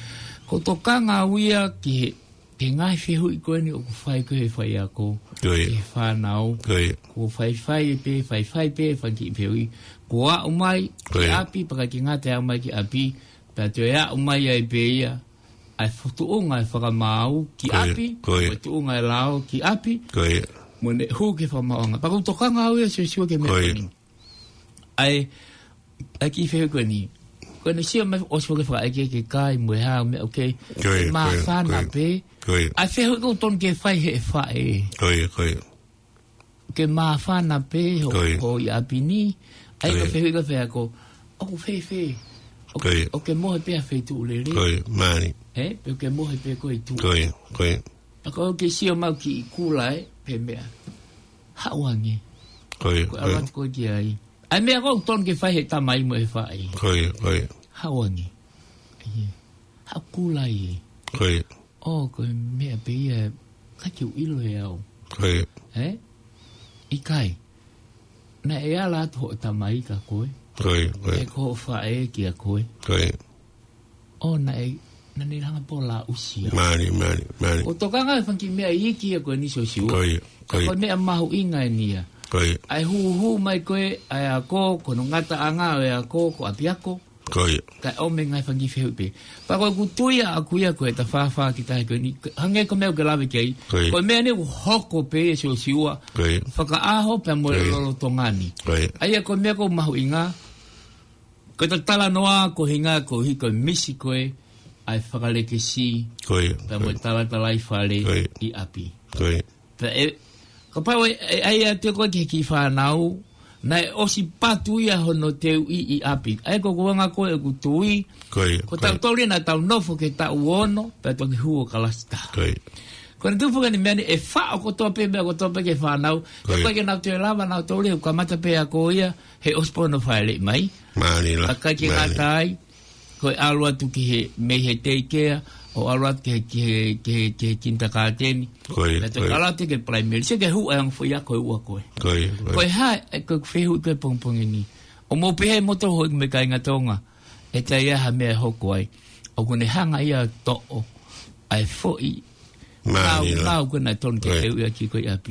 Ko e tokanga au ia ki he, ki he ngaahi fehuʻi ko eni ʻoku fai ko ē he faiako. Ko ia. Ki he fānau. Ko ia. Ko e faifai pē, faifai pē, fai ki he fehuʻi. Ko e aʻu mai, ki ʻapi, pea ʻikai ke ngata e aʻu mai ki ʻapi. Pea toe aʻu mai ai pē ia, ʻa e fo-, tuʻunga e fakamaau ki ʻapi, ko e tuʻunga e lao ki ʻapi, mo ʻene hū ki he fakamaauʻanga. Pea ʻoku ou tokanga au ia Siosiua ki he meʻa ko eni. ʻA e, ʻa e kiʻi fehuʻi ko eni. Ko ʻene sio mai ʻosi foki fakaʻekeʻeke kai mo e hā, meʻa, okay. Māfana pē. ʻA e fehuʻi ʻoku totonu ke fai he faʻē. Ke māfana pē ho, ko ia, ʻi ʻapi ni. ʻA ia ko e fehuʻi ko e faiako, ʻoku fēfē? ʻOku, ʻoku ke mohe pē ha feituʻu lelei? Ē, pe ʻoku ke mohe pē koe ʻi tuʻa? ʻA ko ʻoku ke sio mai ki he kula ē, pe meʻa. Haʻu ange. Ko e ʻalu atu koe ki ai. ʻA e meʻa ʻoku totonu ke fai he tamai mo e faʻē. Haʻu ange. ʻAi ē. Haʻu kula ē. ʻO, ko e meʻa pē ia, ʻikai ke u ʻilo ʻe au. Ē? ʻIkai. Naʻe ala atu hoʻo tamai kia koe. Ē, ko hoʻo faʻē kia koe. ʻO, naʻe, naʻa ne hanga pē ʻo lauʻi ia. ʻOku ou tokanga he fanga kiʻi meʻa iiki ia ko eni Siosiua. Ko e meʻa mahuʻinga eni ia. ʻA e hūhū mai ko ē ʻa e ako, ko hono ngataʻanga ʻo e ako, ko ʻapiako. Kae ʻomi e ngaahi fanga kiʻi fehuʻi pē. Pea ko ʻeku tui ʻaʻaku ia ko e tafāfā ki tahi ko eni. Hangē ko e meʻa ʻoku ke lave ki ai. Ko e meʻa ni ʻoku hoko pē ʻe Siosiua. Fakaʻaho pea mo e lolotonga ni. ʻA ia ko e meʻa ʻoku mahuʻinga. Ko e talanoa ko e hinga ko e hiko e misi ko ē ʻa e fakalekesi. Pea mo e talatalaifale ʻi ʻapi. Pea ʻe, kapau ʻe, ʻe, ʻai atu koe ki he kiʻi fānau, naʻe ʻosi patu ia hono teuʻi ʻi ʻapi. ʻA ia ko e ʻuhinga ko ē ʻeku tui, ko tautolu ia naʻa tau nofo ki he taʻu ono, pea toki hū ʻo kalasi taha. Ko ʻene tupu ko eni meʻa ni ʻe faʻo kotoa pē, meʻa kotoa pē ki he fānau, ʻe ʻikai ke nau toe lava, nautolu ia ʻoku kamata pē ako ia, he ʻosi pē hono fāʻeleʻi mai. ʻIkai ke ngata ai, ko e ʻalu atu ki he, mei he teikea, ʻo ʻalu atu ki he, ki he, ki he, ki he kinitakāteni. Pea toe ʻalu atu ki he palaimeli. Sio ki he hū ʻa e ongo foʻi ako ʻe ua ko ē. Ko e hā, ʻa e ko e fehuʻi ko ē pongipongi ni. ʻOku mou pehē moutolu houʻeiki mo e kāinga Tonga. ʻE ʻi ai ha meʻa ʻe hoko ai. ʻOku ne hanga ia ʻo toʻo ʻa e foʻi nāunau ko ē naʻe totonu ke teuʻi ʻaki koe ʻi ʻapi.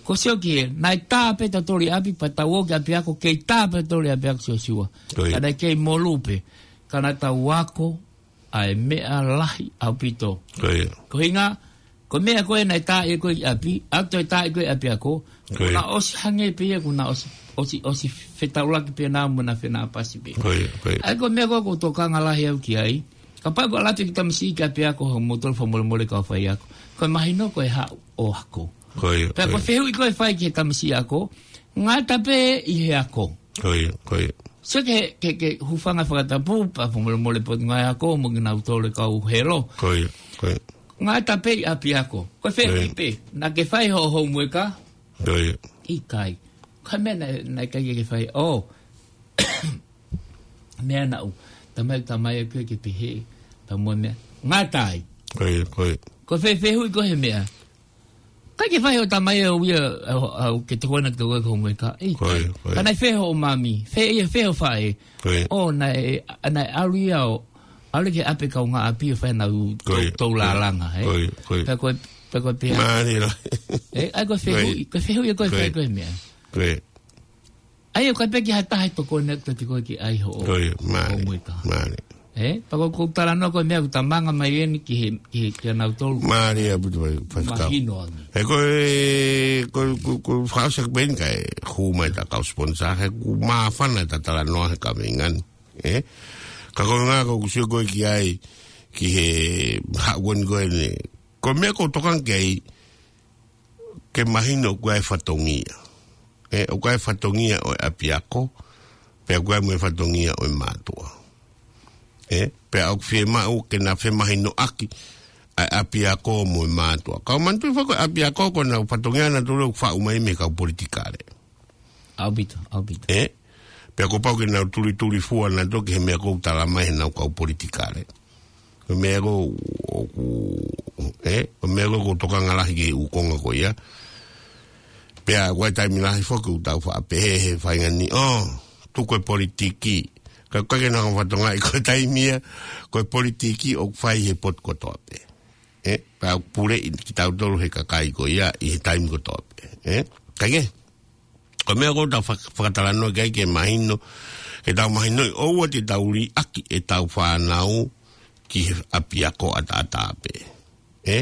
Ko e sio ki he, naʻe tā pē tautolu ʻi ʻapi, pea tau ō ki ʻapiako, kei tā pē tautolu ʻi ʻapiako Siosiua. Ka naʻe kei molū pē, ka naʻa tau ako ʻa e meʻa lahi ʻaupito. Ko e hinga, ko e meʻa ko ē naʻe tā ʻe koe ʻi ʻapi, ʻa ē toe tā ʻe koe ʻi ʻapiako, kuo na ʻosi hangē pē ia, kuo na ʻosi, ʻosi, ʻosi fetaulaki pē nā mo na fenāpasi pē. ʻA ia ko e meʻa ko ē ʻoku ou tokanga lahi au ki ai, kapau ʻoku ʻalu atu e kiʻi tamasiʻi ki ʻapiako, hoʻomoutolu fakamolemole kau faiako. Ko e mahino ko e haʻu ʻo ako. Pea ko e fehuʻi ko ē ʻe fai ki he tamasiʻi ako, ngata pē ʻi he ako. Sio ki he, ki he, ki he hūfanga fakatapu, pea fakamolemole Potungāue Ako, mo kinautolu e kau helo. Ko ia, ko ia. Ngata pē ʻi ʻapiako. Ko e fehuʻi pē, naʻa ke fai hoʻo homework ā? Ko ia. ʻIkai. Ko e meʻa naʻe, naʻe ʻikai ke ke fai. ʻŌ. Meʻa naʻu. Tamai, tamai ʻoku ke pehē. Pea mo e meʻa. Ngata ai. Ko ia, ko ia. Ko e fe-, fehuʻi ko e hā e meʻa. ʻIkai ke fai hoʻo tamai ʻo ia, ʻo, ʻo, ke tokoni atu ki hoʻo homework ā? ʻIkai. Ko ia, ko ia. Ka naʻe fai hoʻo mami. Fai ia, fai hoʻo faʻē. Ko ia. ʻŌ, naʻe, naʻe ʻalu ia ʻo, ʻalu ki ʻapi kaungāʻapi ʻo fai ʻenau tou-, tou lālanga, ē? Ko ia, ko ia. Pea ko e, pea ko e pehē. Mālie lā. Ē, ʻa ia ko e fehuʻi, ko e fehuʻi, ko e fai ko e meʻa. Ko ia. ʻA ia ʻoku ʻikai pē ke ʻi ai ha taha ʻe tokoni atu kiate koe ki ai hoʻo, ko ia, mālie, hoʻo homework ā. Mālie. Ē, pea ko, ko e talanoa ko e meʻa ʻoku talamai eni ki he, ki he, kia nautolu. Mālie ʻaupito ʻa e, ʻa e fakakau. Mahino ange. He ko e, ko, ko, ko e fakaʻosi ʻaku pē eni kae hū mai ʻeta kau sponsor, he ʻoku māfana ʻeta talanoa he kaveinga ni. Ē? Ka ko e ʻuhinga ʻoku ou sio ko ē ki ai, ki he haʻu ko eni ko eni. Ko e meʻa ʻoku ou tokanga ki ai, ke mahino ʻoku ʻi ai e fatongia. Ē, ʻoku ʻi ai e fatongia ʻo e ʻapiako, pea ʻoku ʻi ai mo e fatongia ʻo e mātuʻa. Ē, pea ʻoku fiemaʻu ke na femahinoʻaki ʻa e ʻapiako mo e mātuʻa. Ka ʻoku ou manatuʻi foki ko e ʻapiako ko ʻenau fatongia nautolu ʻoku faʻu mai mei he kau politikale. ʻAupito, ʻaupito. Ē? Pea kuo pau ke nau tulitulifua nautolu ki he meʻa ʻoku talamai heʻenau kau politikale. Ko e meʻa ʻoku, ʻoku, ē? Ko e meʻa ʻoku ou tokanga lahi ki he ʻū konga ko ia. Pea ko e taimi lahi foki ʻoku tau faʻa pehē he faʻahinga ni, ʻō, tuku e politiki. Ka ʻoku ʻikai ke nau fatongia ʻi ko e taimi ia, ko e politiki ʻoku fai he potu kotoa pē. Ē? Pea ʻoku puleʻi kitautolu he kakai ko ia ʻi he taimi kotoa pē. Ē? Kae kehe. Ko e meʻa ʻoku ou tau fak-, fakatalanoa ki ai ke mahino, ke tau mahinoʻi ʻoua te tau liʻaki ʻetau fānau ki he ʻapiako ʻataʻatā pē. Ē?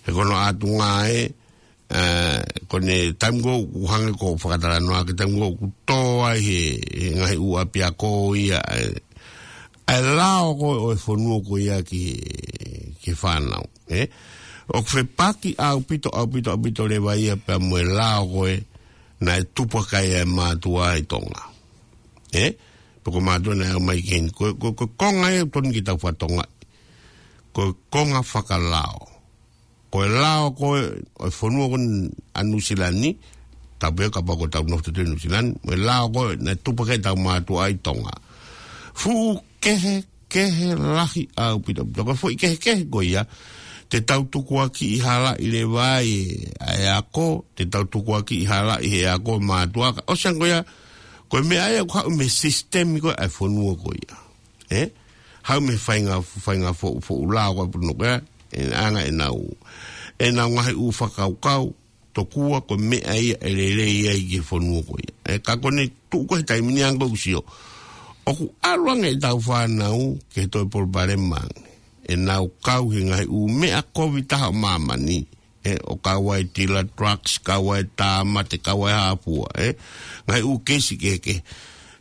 He ko hono ʻātunga ē, ē, ko ʻene taimi ko ē ʻoku hangē ko e fakatalanoa ki he taimi ko ē ʻoku tō ai he, he ngaahi ʻū ʻapiako ia, ē, ʻa e lao ko ē ʻo e fonua ko ia ki he, ki he fānau. Ē? ʻOku fepaki ʻaupito, ʻaupito, ʻaupito leva ia pea mo e lao ko ē naʻe tupu hake ai e mātuʻa ʻi Tonga. Ē? Pea ko e mātuʻa naʻe ʻomai ki heni. Ko, ko, ko e konga ē ʻoku totonu ke tau fatongia. Ko e konga fakalao. Ko e lao ko ē ʻo e fonua ko eni ʻa Nuʻusila ni, tapu ia kapau ʻoku tau nofo atu ʻi Nuʻusila ni, mo e lao ko ē naʻe tupu hake ai ʻetau mātuʻa ʻi Tonga. Fuʻu kehe kehe lahi ʻaupito. Pea ko e foʻi kehekehe ko ia, te tau tukuakiʻi halaʻi leva ai ʻa e ako, te tau tukuakiʻi halaʻi he ako mātuʻa, ka ʻosi ange ko ia, ko e meʻa ia ʻoku haʻu mei he sisitemi ko ē ʻa e fonua ko ia. Ē? Haʻu mei he faʻahinga, faʻahinga foʻu, foʻu lao ko ē ʻa e fonua ko ia, ʻe anga ʻenau, ʻenau ngaahi ʻū fakakaukau, tokua ko e meʻa ia ʻe lelei ai ki he fonua ko ia. Ē, ka ko ʻene tuʻu ko ē he taimi ni ange ʻoku ou sio, ʻoku ʻalu ange ʻetau fānau ki he toe palopalema ange. ʻEnau kau he ngaahi ʻū meʻa kovi taha ʻo māmani. Ē, ʻo kau ai e tila drugs, kau ai e tāmate, kau ai e hā fua, ē. Ngaahi ʻū keisi kehekehe.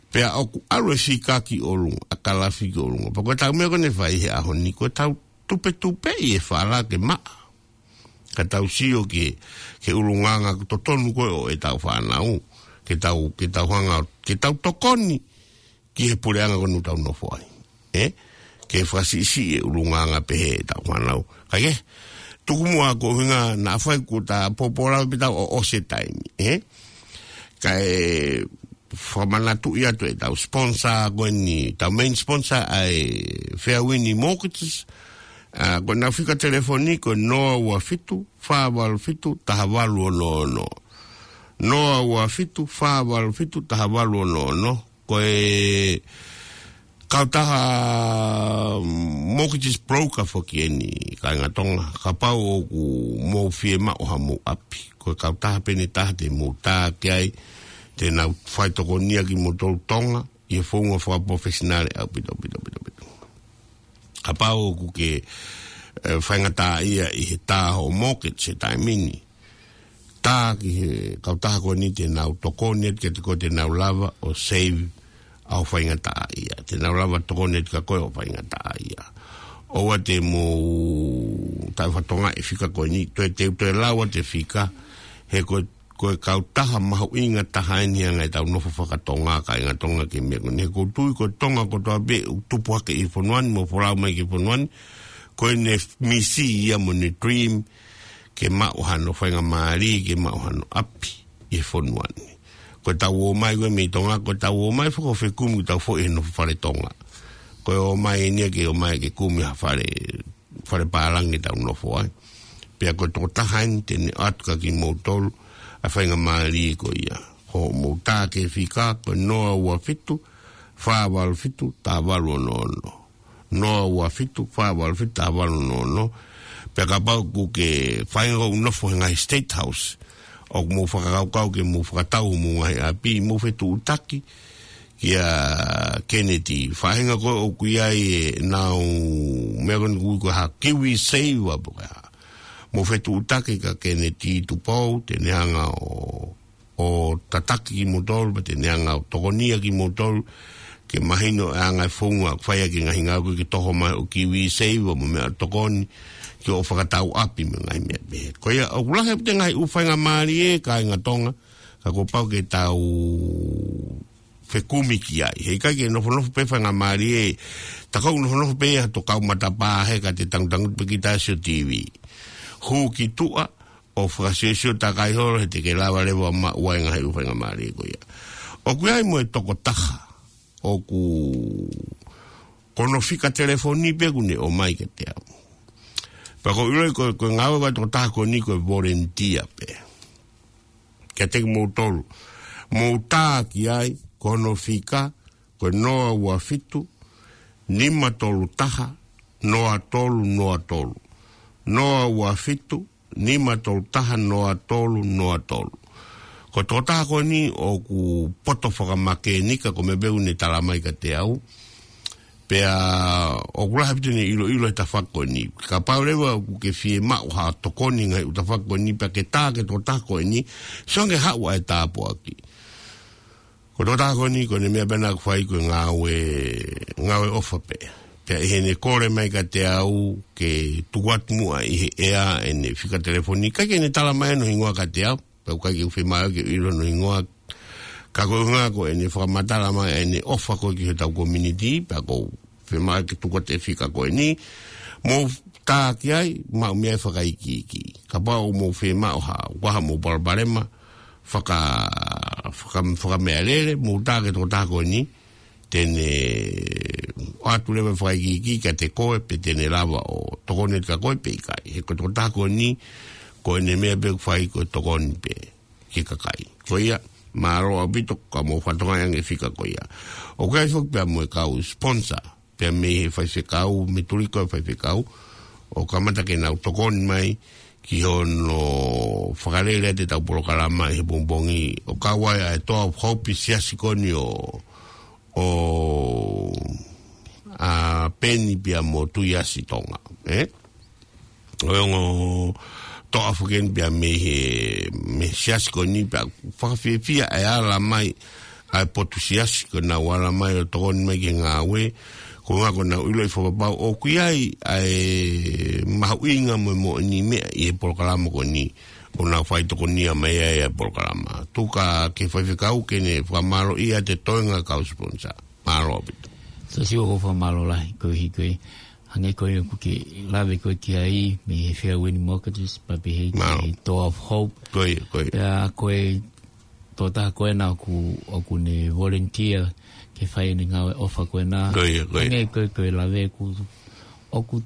Pea ʻoku ʻalu e fika ki ʻolunga, ʻa e kalafi ki ʻolunga. Pea ko ʻetau meʻa ko ē naʻe fai he ʻaho ni, ko ʻetau tupetupeʻi e fala ke maʻa. Ka tau sio ki he, ki he ʻulungaanga totonu ko ē ʻo ʻetau fānau, ke tau, ke tau hanga, ke tau tokoni ki he puleʻanga ko eni ʻoku tau nofo ai. Ē? Ke fakasiʻisiʻi e ʻulungaanga pehē ʻetau fānau. Kae kehe, tuku muʻa ko e ʻuhinga naʻa faifai kuo ta pōpō lava pē ʻetau ʻosi e taimi. Ē? Kae fakamanatuʻi atu ʻetau sponsor ko eni, ʻetau main sponsor ʻa e Fairwind Mortgages. Ā, ko ʻenau fika telefoni ko e noa ua fitu, fā valu fitu, taha valu ono ono. Noa ua fitu, fā valu fitu, taha valu ono ono. Ko e kautaha mortgage broker foki eni, kāinga Tonga, kapau ʻoku mou fiemaʻu haʻamou ʻapi. Ko e kautaha pē eni ʻe taha te mou tā ki ai, te nau fai tokonia kimoutolu Tonga, ʻi he founga fakapalofesinale ʻaupito, ʻaupito, ʻaupito, ʻaupito. Kapau ʻoku ke, ē, faingataʻaʻia ʻi he tā hoʻo mortgage he taimi ni, tā ki he kautaha ko eni te nau tokoni atu kiate koe te nau lava ʻo save ʻa hoʻo faingataʻaʻia. Te nau lava tokoni atu kia koe hoʻo faingataʻaʻia. ʻOua te mou taʻefatongia e fika ko eni, toe te, toe lau atu e fika, he ko e ko e kautaha mahuʻinga taha eni ʻa e ngaahi tau nofo fakatonga, kāinga Tonga, ki he meʻa ko eni. He ʻoku ou tui ko Tonga kotoa pē ʻoku tupu hake ʻi he fonua ni, mo folau mai ki he fonua ni, ko ʻene misi ia mo ʻene dream, ke maʻu hano faingamālie, ke maʻu hano ʻapi ʻi he fonua ni. Ko ʻetau ō mai ko ē mei Tonga, ko ʻetau ō mai fakafekumi ʻetau foʻi he nofo fale Tonga. Ko e ō mai eni ia ke ō mai ke kumi ha fale, fale pālangi ʻetau nofo ai. Pea ko e tokotaha eni te ne ʻoatu kia kimoutolu ʻa e faingamālie ko ia. Ko hoʻomou tā ki he fika, ko e noa ua fitu, fā valu fitu, taha valu ono ono. Noa ua fitu, fā valu fitu, taha valu ono ono. Pea kapau ʻoku ke feinga ʻo nofo he ngaahi State House, ʻoku mou fakakaukau ke mou fakatau homou ngaahi ʻapi, mou fetuʻutaki kia Kennedy. Faʻahinga ko ē ʻoku ʻi ai ʻenau meʻa ko eni ʻoku ui ko e hā, KiwiSaver pe ko e hā. Mou fetuʻutaki kia Kennedy Tupou, te ne hanga ʻo ʻo tataki kimoutolu, pea te ne hanga ʻo tokonia kimoutolu, ke mahino e anga e founga, fai ʻaki e ngaahi ngāue ko ē ke toho mai ʻo KiwiSaver mo e meʻa tokoni, ke ʻo fakatau ʻapi mo e ngaahi meʻa pehē. Ko ia, ʻoku lahi ʻaupito e ngaahi ʻū faingamālie, kāinga Tonga, ka kuo pau ke tau fekumi ki ai. He ʻikai ke nofonofo pē faingamālie, tā ko ē nofonofo pē ia ha tokau matapā he ka te tangutangutu pē kita ʻo sio TV. Hū ki tuʻa, ʻo fakasiosio takai holo he te ke lava leva maʻu ai e ngaahi ʻū faingamālie ko ia. ʻOku ʻi ai mo e tokotaha, ʻoku ko hono fika telefoni pē ʻoku ne ō mai kiate au. Pea ʻoku ou ʻiloʻi ko, ko e ngāue ʻa e tokotaha ko eni ko e volunteer pē. Kiate kimoutolu. Mou tā ki ai, ko hono fika, ko e noa ua fitu, nima tolu taha, noa tolu noa tolu. Noa ua fitu, nima tolu taha, noa tolu noa tolu. Ko e tokotaha ko eni ʻoku poto fakamākenika, ko e meʻa pē ʻoku ne tala mai kiate au. Pea ʻoku lahi ʻaupito ʻene ʻiloʻilo he tafaʻaki ko eni. Kapau leva ʻoku ke fiemaʻu ha tokoni he ngaahi ʻū tafaʻaki ko eni, pea ke tā ki he tokotaha ko eni, sio ange haʻu ʻa e tāpuaki. Ko e tokotaha ko eni, ko ʻene meʻa pē ʻoku fai ko e ngāue, ngāue ʻofa pē. Pea ʻi heʻene kole mai kiate au ke tuku atu muʻa ʻi he ʻea ʻene fika telefoni, ʻikai ke ne tala mai hono hingoa kiate au, pea ʻoku ʻikai ke u fiemaʻu ke u ʻilo hono hingoa, ka ko e ʻuhinga ko ʻene fakamatala mai ʻene ʻofa ko ē ki hotau community, pea ʻoku ou fiemaʻu ke tuku atu e fika ko eni, mou tā ki ai, maʻu mei ai e fakaikiiki. Kapau ʻoku mou fiemaʻu ha, ʻoku ʻi ai haʻamou palopalema, faka, faka, fakameʻalele, mou tā ki he tokotaha ko eni, te ne ʻoatu leva e fakaikiiki kiate koe, pe te ne lava ʻo tokoni atu kia koe pe ʻikai. He ko e tokotaha ko eni, ko ʻene meʻa pē ʻoku fai ko e tokoni pē ki he kakai. Ko ia, mālō ʻaupito, ka mou fakatokangaʻi ange e fika ko ia. ʻOku ʻi ai foki pea mo e kau sponsor, pea mei he faifekau, mei Tuliko e faifekau, ʻo kamata ke nau tokoni mai ki hono fakalele atu ʻetau polokalama ʻi he pongipongi, ʻo kau ai ʻa e Toa of Hope, siasi ko eni ʻo, ʻo, ʻa Peni pea mo Tuiasi Tonga, ē? ʻO e ongo toʻa foki eni pea mei he, mei he siasi ko eni pea fakafiefia e ala mai ʻa e potu siasi ko ʻenau ala mai ʻo tokoni mai ki he ngāue, ko e ʻuhinga ko ʻenau ʻiloʻi fakapapau ʻoku ʻi ai ʻa e mahuʻinga mo e moʻoni meʻa ʻi he polokalama ko eni, ʻo nau fai tokonia mai ai ʻa e polokalama. Tuku ki he faifekau ke ne fakamālōʻia atu e toenga kau sponsor. Mālō ʻaupito. Siasi, ʻoku ou fakamālō lahi koeʻuhi ko e hangē ko ia ʻoku ke lave ko ē ki ai mei he Fairwind Mortgages, pea pehē ki he Toa of Hope. Ko ia, ko ia. Pea ko e tokotaha ko ena ʻoku, ʻoku ne volunteer ke fai ʻene ngāue ʻofa ko ena. Ko ia, ko ia. Hangē ko e, ko e lave ʻoku, ʻoku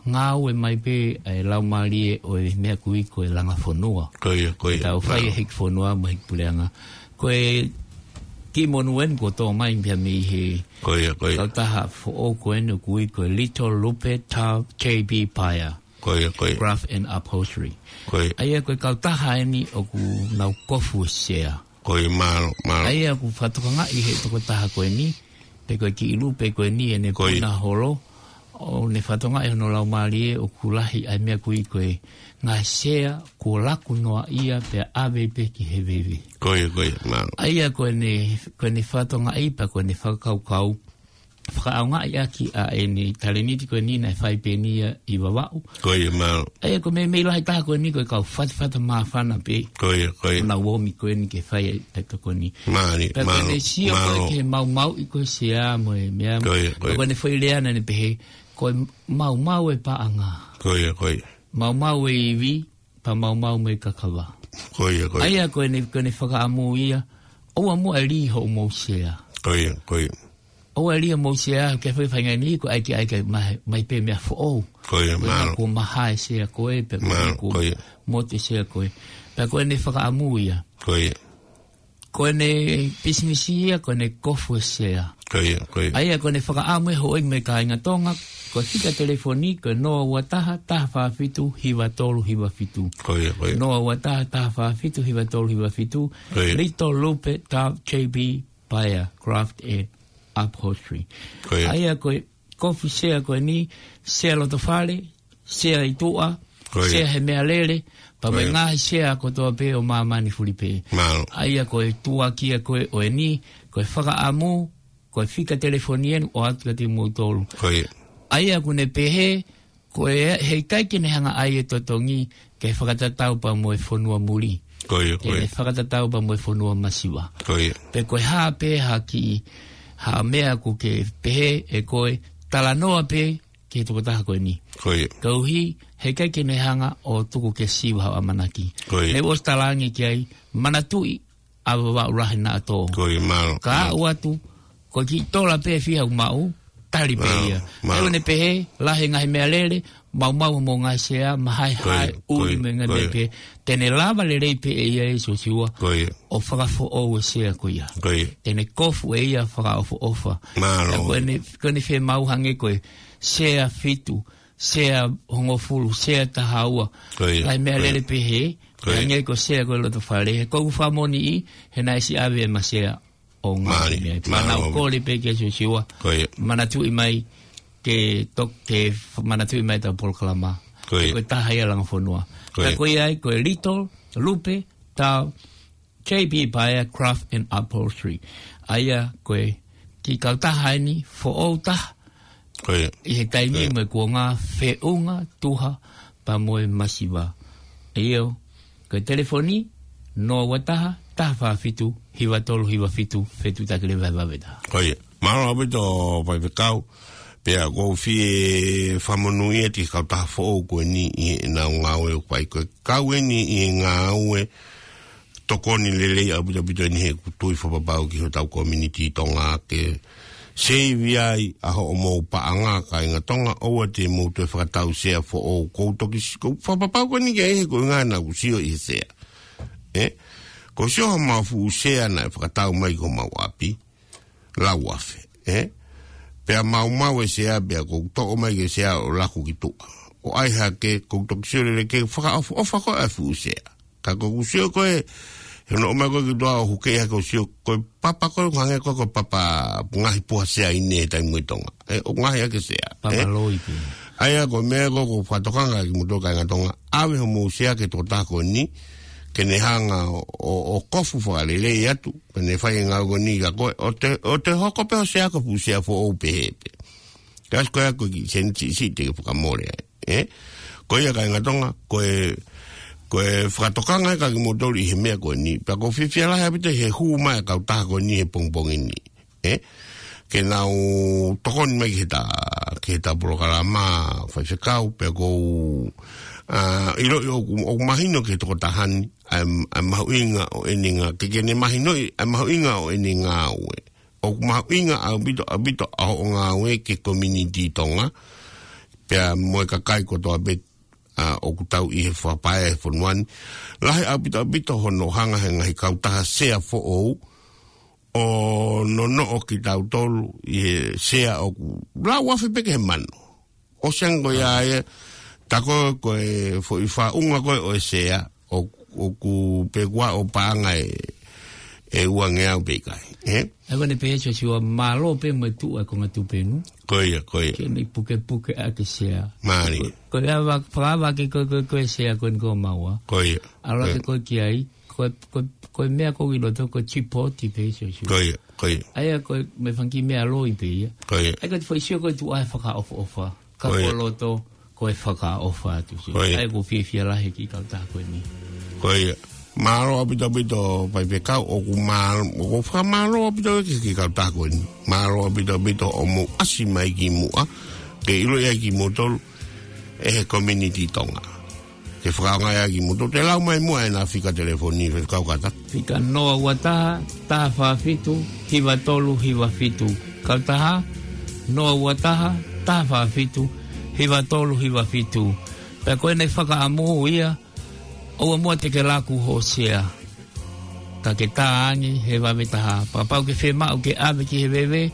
ngāue mai pē ʻa e laumālie ʻo e meʻa ʻoku ui ko e langa fonua. Ko ia, ko ia. Tau fai e hiki fonua mo e hiki puleʻanga. Ko e kiʻi monū eni kuo tō mai pea mei he, ko ia, ko ia, kautaha foʻou ko eni ʻoku ui ko e Little Lupe Tau J B Paea. Ko ia, ko ia. Craft and Upholstery. Ko ia. ʻA ia ko e kautaha eni ʻoku nau kofu e sea. Ko ia, mālō, mālō. ʻA ia ʻoku fakatokangaʻi he tokotaha ko eni, pe ko e kiʻi lupe ko eni ʻene, ko ia, puna holo, ʻo ne fakatokangaʻi hono laumālie ʻoku lahi ʻa e meʻa ʻoku ui ko e ngaahi sea kuo laku noaʻia pea ʻave pē ki he veve. Ko ia, ko ia, mālō. ʻA ia ko ʻene, ko ʻene fakatokangaʻi pea ko ʻene fakakaukau, fakaʻaongaʻi ʻaki ʻa ʻene talēniti ko eni naʻe fai pē eni ia ʻi Vavaʻu. Ko ia, mālō. ʻA ia ko e meʻa, meʻa lahi taha ko eni ko e kau fatafata māfana pē. Ko ia, ko ia. Ko e nau omi ko eni ke fai ʻa e tokoni. Mālie, pea ko ʻene mālō, sio ko ē mālō. Ki he maumauʻi ko ē Sea mo e meʻa. Ko ia, ko ia. Pea ko ʻene foʻi lea naʻa ne pehē, ko e maumau e paʻanga. Ko ia, ko ia. Maumau e ivi, pea maumau mo e kakava. Ko ia, ko ia. ʻA ia ko ʻene, ko ʻene fakaʻamu ia, ʻoua muʻa ʻe lī hoʻomou sea. Ko ia, ko ia. ʻOua ʻe lī hoʻomou sea, ke fai fainga ni, ko e ʻai ke ʻai ke mai, mai pē meʻa foʻou. Ko ia, ko e mālō. Kuo maha e sea ko ē, pea ko e mālō, kuo ko ia. Motu e sea ko ē. Pea ko ʻene fakaʻamu ia. Ko ia. Ko ʻene pisinisi ia, ko ʻene kofu e sea. Ko ia, ko ia. ʻA ia ko ʻene fakaʻamu e houʻeiki mo e kāinga Tonga, ko e fika telefoni, ko e noa ua taha, taha fā fitu, hiva tolu hiva fitu. Ko ia, ko ia. Noa ua taha, taha fā fitu, hiva tolu hiva fitu. Ko ia. Little Lupe, Tau, J B Paea, Craft and Upholstery. Ko ia. ʻA ia ko e kofu sea ko eni, sea loto fale, sea ʻi tuʻa, ko ia. Sea he meʻalele, pea mo e ko ia. Ngaahi sea kotoa pē ʻo māmani fulipē. Mālō. ʻA ia ko e tuʻa kia ko ē ʻo eni, ko e fakaʻamu, ko e fika telefoni eni ʻoatu kiate kimoutolu. Ko ia. ʻA ia ʻoku ne pehē, ko e heʻikai ke ne hanga ʻai e totongi, ke fakatatau pea mo e fonua muli. Ko ia, ko ia. Ke ne fakatatau pea mo e fonua masiva. Ko ia. Pea ko e hā pē ha kiʻi, ha meʻa ʻoku ke pehē ʻe koe, talanoa pē, ki he tokotaha ko eni. Ko ia. Koeʻuhi, heʻikai ke ne hanga ʻo tuku ke siva haʻo ʻamanaki. Ko ia. Ne u ʻosi talaange ki ai, manatuʻi ʻa Vavaʻu lahi naʻa tō. Ko ia, mālō. Ka mālō. Aʻu atu, ko e kiʻi tola pē fiha ʻoku maʻu, tali pē mālō, ia. Mālō. ʻA ia ʻoku ne pehē, lahi e ngaahi meʻalele, maumau mo e ngaahi sea, mahaehae, ko ia, ʻuli ko ia, mo e ngaahi ko ia. Meʻa pē. Te ne lava lelei pē ʻe ia ʻe Siosiua. Ko ia. ʻO fakafoʻou e sea ko ia. Ko ia. Te ne kofu ʻe ia fakaʻofoʻofa. Mālō. Pea ko ʻene, ko ʻene fiemaʻu hangē ko e sea fitu, sea hongofulu, sea taha ua. Ko ia. Ngaahi meʻalele ko ia. Pehē, ko ia. Hangē ko e sea ko e loto fale. He ko ʻeku fakamoʻoniʻi, he naʻe ʻosi ʻave ʻema sea ʻo ngaahi mālie, meʻa. Mālō. Pea naʻa ku kole pē kia Siosiua. Ko ia. Manatuʻi mai, ke tok-, ke f-, manatuʻi mai ʻetau polokalama. Ko ia. Ko e taha ia langa fonua. Ko ia. Pea ko ia ai, ko e Little Lupe, Tau, J B Paea Craft and Upholstery. ʻA ia ko e kiʻi kautaha eni foʻou taha. Ko ia. ʻI he taimi ko ia. Mo e kuonga feʻunga tuha pea mo e masiva. ʻIo, ko e telefoni, noa ua taha, taha fā fitu, hiva tolu hiva fitu, fetuʻutaki leva he vave taha. Ko ia. Mālō ʻaupito Faifekau, pea ʻoku ou fie fakamonūʻia ʻa e kautaha foʻou ko eni ʻi heʻenau ngāue ʻoku fai ko e kau eni ʻi he ngāue tokoni lelei ʻaupito ʻaupito eni he ʻoku tui fakapapau ki hotau community Tonga ke seivi ai ʻa hoʻomou paʻanga kāinga Tonga ʻoua te mou toe fakatau sea foʻou ʻoku ou toki s-, ʻoku ou fakapapau ko eni ke ʻi he ko e ngaahi naʻa ku sio ʻi he sea. ʻE? ʻOku ou sio homau fuʻu sea naʻe fakatau mai ki homau ʻapi. Lau afe, ʻe? Pea maumau e sea, pea ʻoku ou toʻo mai ki he sea ʻo laku ki tuʻa. ʻO ʻai hake, ʻoku ou toki sio lelei ke fakaʻofoʻofa ko ē ʻa e fuʻu sea. Ka ʻoku ou sio ko ē, he ʻoku ou ʻomai ko ē ki tuʻa ʻo huke hake ʻo sio ko e papa ko ē, hangē ko e, ko e papa ngaahi puha sea ʻi he taimi ʻi Tonga. ʻE, ʻoku ngaahi hake sea. Papa ʻe? Loi pē. ʻA ia ko e meʻa ko ē ʻoku ou fakatokanga kiate kimoutolu kāinga Tonga. ʻAve homou sea ki he tokotaha ko eni, ke ne hanga ʻo, ʻo, ʻo kofu fakalelei atu. Pea ne fai e ngāue ko eni kia koe, ʻo te, ʻo te hoko pē hoʻo sea ko e fuʻu sea foʻou pehē pē. Ka ʻosi ko ia ko e kiʻi sēniti siʻisiʻi te ke fakamole ai, ʻe? Ko ia kāinga Tonga, ko e, ko e fakatokanga ia kiate kimoutolu ʻi he meʻa ko eni. Pea ʻoku ou fiefia lahi ʻaupito he hū mai e kautaha ko eni he pongipongi ni, ʻe? Ke nau tokoni mai ki heʻeta, ki heʻeta polokalama Faifekau, pea ʻoku ou, ʻa, ʻiloʻi ʻoku, ʻoku mahino ki he tokotaha ni, ʻa e, ʻa e mahuʻinga ʻo ʻene ngā-, ke, ke ne mahinoʻi, ʻa e mahuʻinga ʻo ʻene ngāue. ʻOku mahuʻinga ʻaupito, ʻaupito ʻa hoʻo ngāue ki he community Tonga, pea mo e kakai kotoa pē, ʻa, ʻoku tau ʻi he fakapae he fonua ni. Lahi ʻaupito, ʻaupito hono hanga he ngaahi kautaha sea foʻou, ʻo nonoʻo kitautolu ʻi he sea ʻoku lau afe pē ki he mano. ʻOsi ange ko ia ia, tā ko ē ko e foʻi faʻunga ko ē ʻo e sea, ʻo, ʻoku pē kuo ʻo paʻanga ʻe, ʻe ua ngeau pe ʻikai, ʻe? ʻA ia ko ʻene pehē Siosiua mālō pē mo e tuʻu ʻa e konga tupenu. Ko ia, ko ia. Ke ne pukepuke ʻaki e sea. Mālie. Ko, ko e ava, fakaava ke ko, ko, ko e sea ko eni ko maua. Ko ia. ʻAlu hake ko ia. Ko e ki ai, ko, ko, ko e meʻa ko ē ʻi loto ko e chipoti pē Siosiua. Ko ia. Ko ia. ʻA ia ko e meʻa fanga kiʻi meʻa loi pē ia. Ko ia. ʻA ia ko e foʻi sio ko e tuʻa e fakaʻofoʻofa. Ka ko ia. Ko loto, ko e fakaʻofa atu sio. Ko ia. ʻA ia ʻoku ou fiefia lahi ki he kautaha ko eni. Ko ia. Mālō ʻaupito ʻaupito Faifekau, ʻoku māl-, ʻoku ou fakamālō ʻaupito ki he kautaha ko eni. Mālō ʻaupito ʻaupito hoʻomou ʻasi mai ki muʻa, ke ʻilo ia kimoutolu, ʻe he community Tonga. Ke fakaongo ia kimoutolu, te lau mai muʻa ʻena fika telefoni, Faifekau Kata. Fika noa ua taha, taha fā fitu, hiva tolu hiva fitu. Kautaha, noa ua taha, taha fā fitu, hiva tolu hiva fitu. Pea ko ʻena fakaʻamu ia, ʻoua muʻa te ke laku hoʻo sea. Ka ke tā ange he vave taha. Kapau ʻoku ke fiemaʻu ke ʻave ki he veve,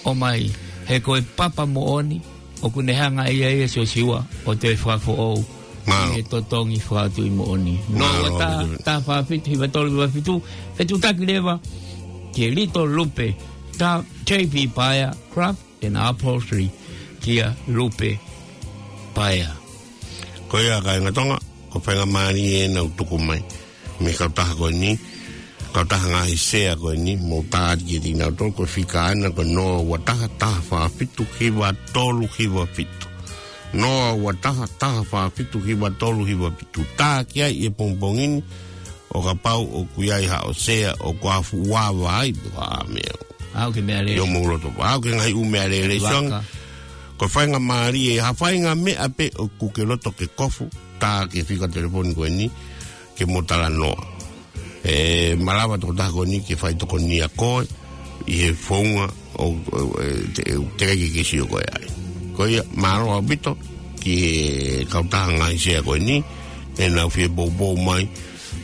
ʻomai. He ko e papa moʻoni, ʻoku ne hanga ʻe ia ʻia Siosiua ʻo toe fakafoʻou. Mālō. ʻI he totongi fakatuʻi moʻoni. Noa ua taha, taha fā fitu, hiva tolu hiva fitu, fetuʻutaki leva, ki he Little Lupe, tā J P Paea, Craft and Upholstery, kia Lupe Paea. Ko ia kāinga Tonga, ko e faingamālie ʻena ʻoku tuku mai mei he kautaha ko eni, kautaha ngaahi sea ko eni, mou tā atu kiate kinautolu, ko e fika ʻena ko e noa ua taha, taha fā fitu, hiva tolu hiva fitu. Noa ua taha, taha fā fitu, hiva tolu hiva fitu. Tā ki ai ʻi he pongipongi ni, ʻo kapau ʻoku ʻi ai haʻo sea, ʻoku ʻafuʻava ai, pe ko ha meʻa. ʻAu ke meʻalele. ʻI hoʻomou loto. ʻAu ke ngaahi ʻū meʻalele. Vaka. Siʻonga, ko e faingamālie, ha fainga meʻa pē ʻoku ke loto ke kofu, tā ki he fika telefoni ko eni, ke mo talanoa. ʻE malava tokotaha ko eni ke fai tokonia koe, ʻi he founga ʻo, ʻo, ʻe, te, ʻe, teʻeki ke ke sio koe ai. Ko ia, mālō ʻaupito ki he kautaha ngaahi sea ko eni, ʻenau fie poupou mai,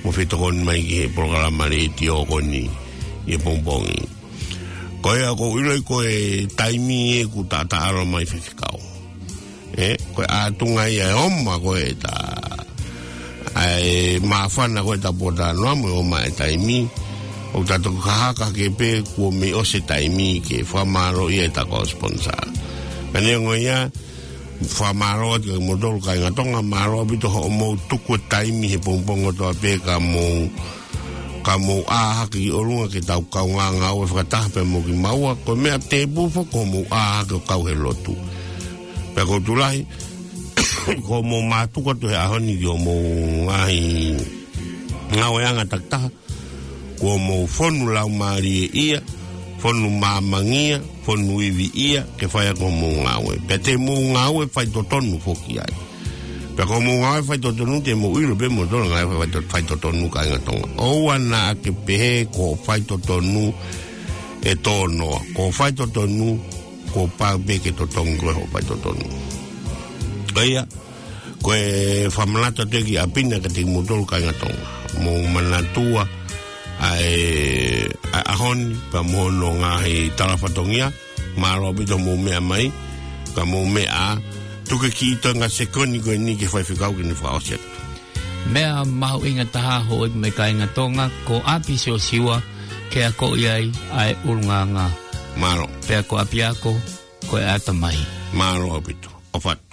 mo fie tokoni mai ki he polokalama letiō ko eni, ʻi he pongipongi. Ko ia ʻoku ou ʻiloʻi ko e taimi ʻoku taʻataʻalo mai Faifekau. ʻE, ko e ʻatunga ia ʻe ʻomai ko e ta. ʻA e māfana ko e ta pota noa mo e ʻomai e taimi. ʻOku ta toki hahake pē kuo mei ʻosi e taimi ke fakamālō ia ʻeta kau sponsor. Ka neongo ia, fakamālō atu kimoutolu kāinga Tonga, mālō ʻaupito hoʻomou tuku e taimi he pongipongi kotoa pē ka mou ka mou ʻā hake ki ʻolunga ke tau kaungā ngāue fakataha pē mo kimaua, ko e meʻa tēpū foki ko hoʻomou ʻā hake ʻo kau he lotu. Pea ʻoku ou tui lahi, ko hoʻomou mātuku atu he ʻaho ni ki hoʻomou ngaahi ngāueʻanga takitaha, kuo mou fonu laumālie ia, fonu māmangia, fonu ivi ia, ke fai ʻaki hoʻomou ngāue. Pea te mou ngāue faitotonu foki ai. Pea ko hoʻomou ngāue faitotonu te mou ʻilo pē moutolu ngāue fai-, faito-, faitotonu kāinga Tonga. ʻOua naʻa ke pehē ko e faitotonu ʻe tō noa. Ko e faitotonu, kuo pau pē ke totongi koe hoʻo faitotonu. Ko ia, ko e fakamanatu atu ki ʻapi na kiate kimoutolu kāinga Tonga. Mou manatua ʻa e, ʻa e ʻaho ni, pea mo hono ngaahi tala fatongia, mālō ʻaupito hoʻomou meʻa mai, ka mou meʻa, tuku e kiʻi toenga sekoni ko eni ki he Faifekau ke ne fakaʻosi atu. Meʻa mahuʻinga taha hoʻo ʻi mai kāinga Tonga, ko ʻapi Siosiua, ke akoʻi ai ʻa e ʻulungaanga. Mālō. Pea ko ʻapiako, ko e ʻatamai. Mālō ʻaupito. ʻOfa atu.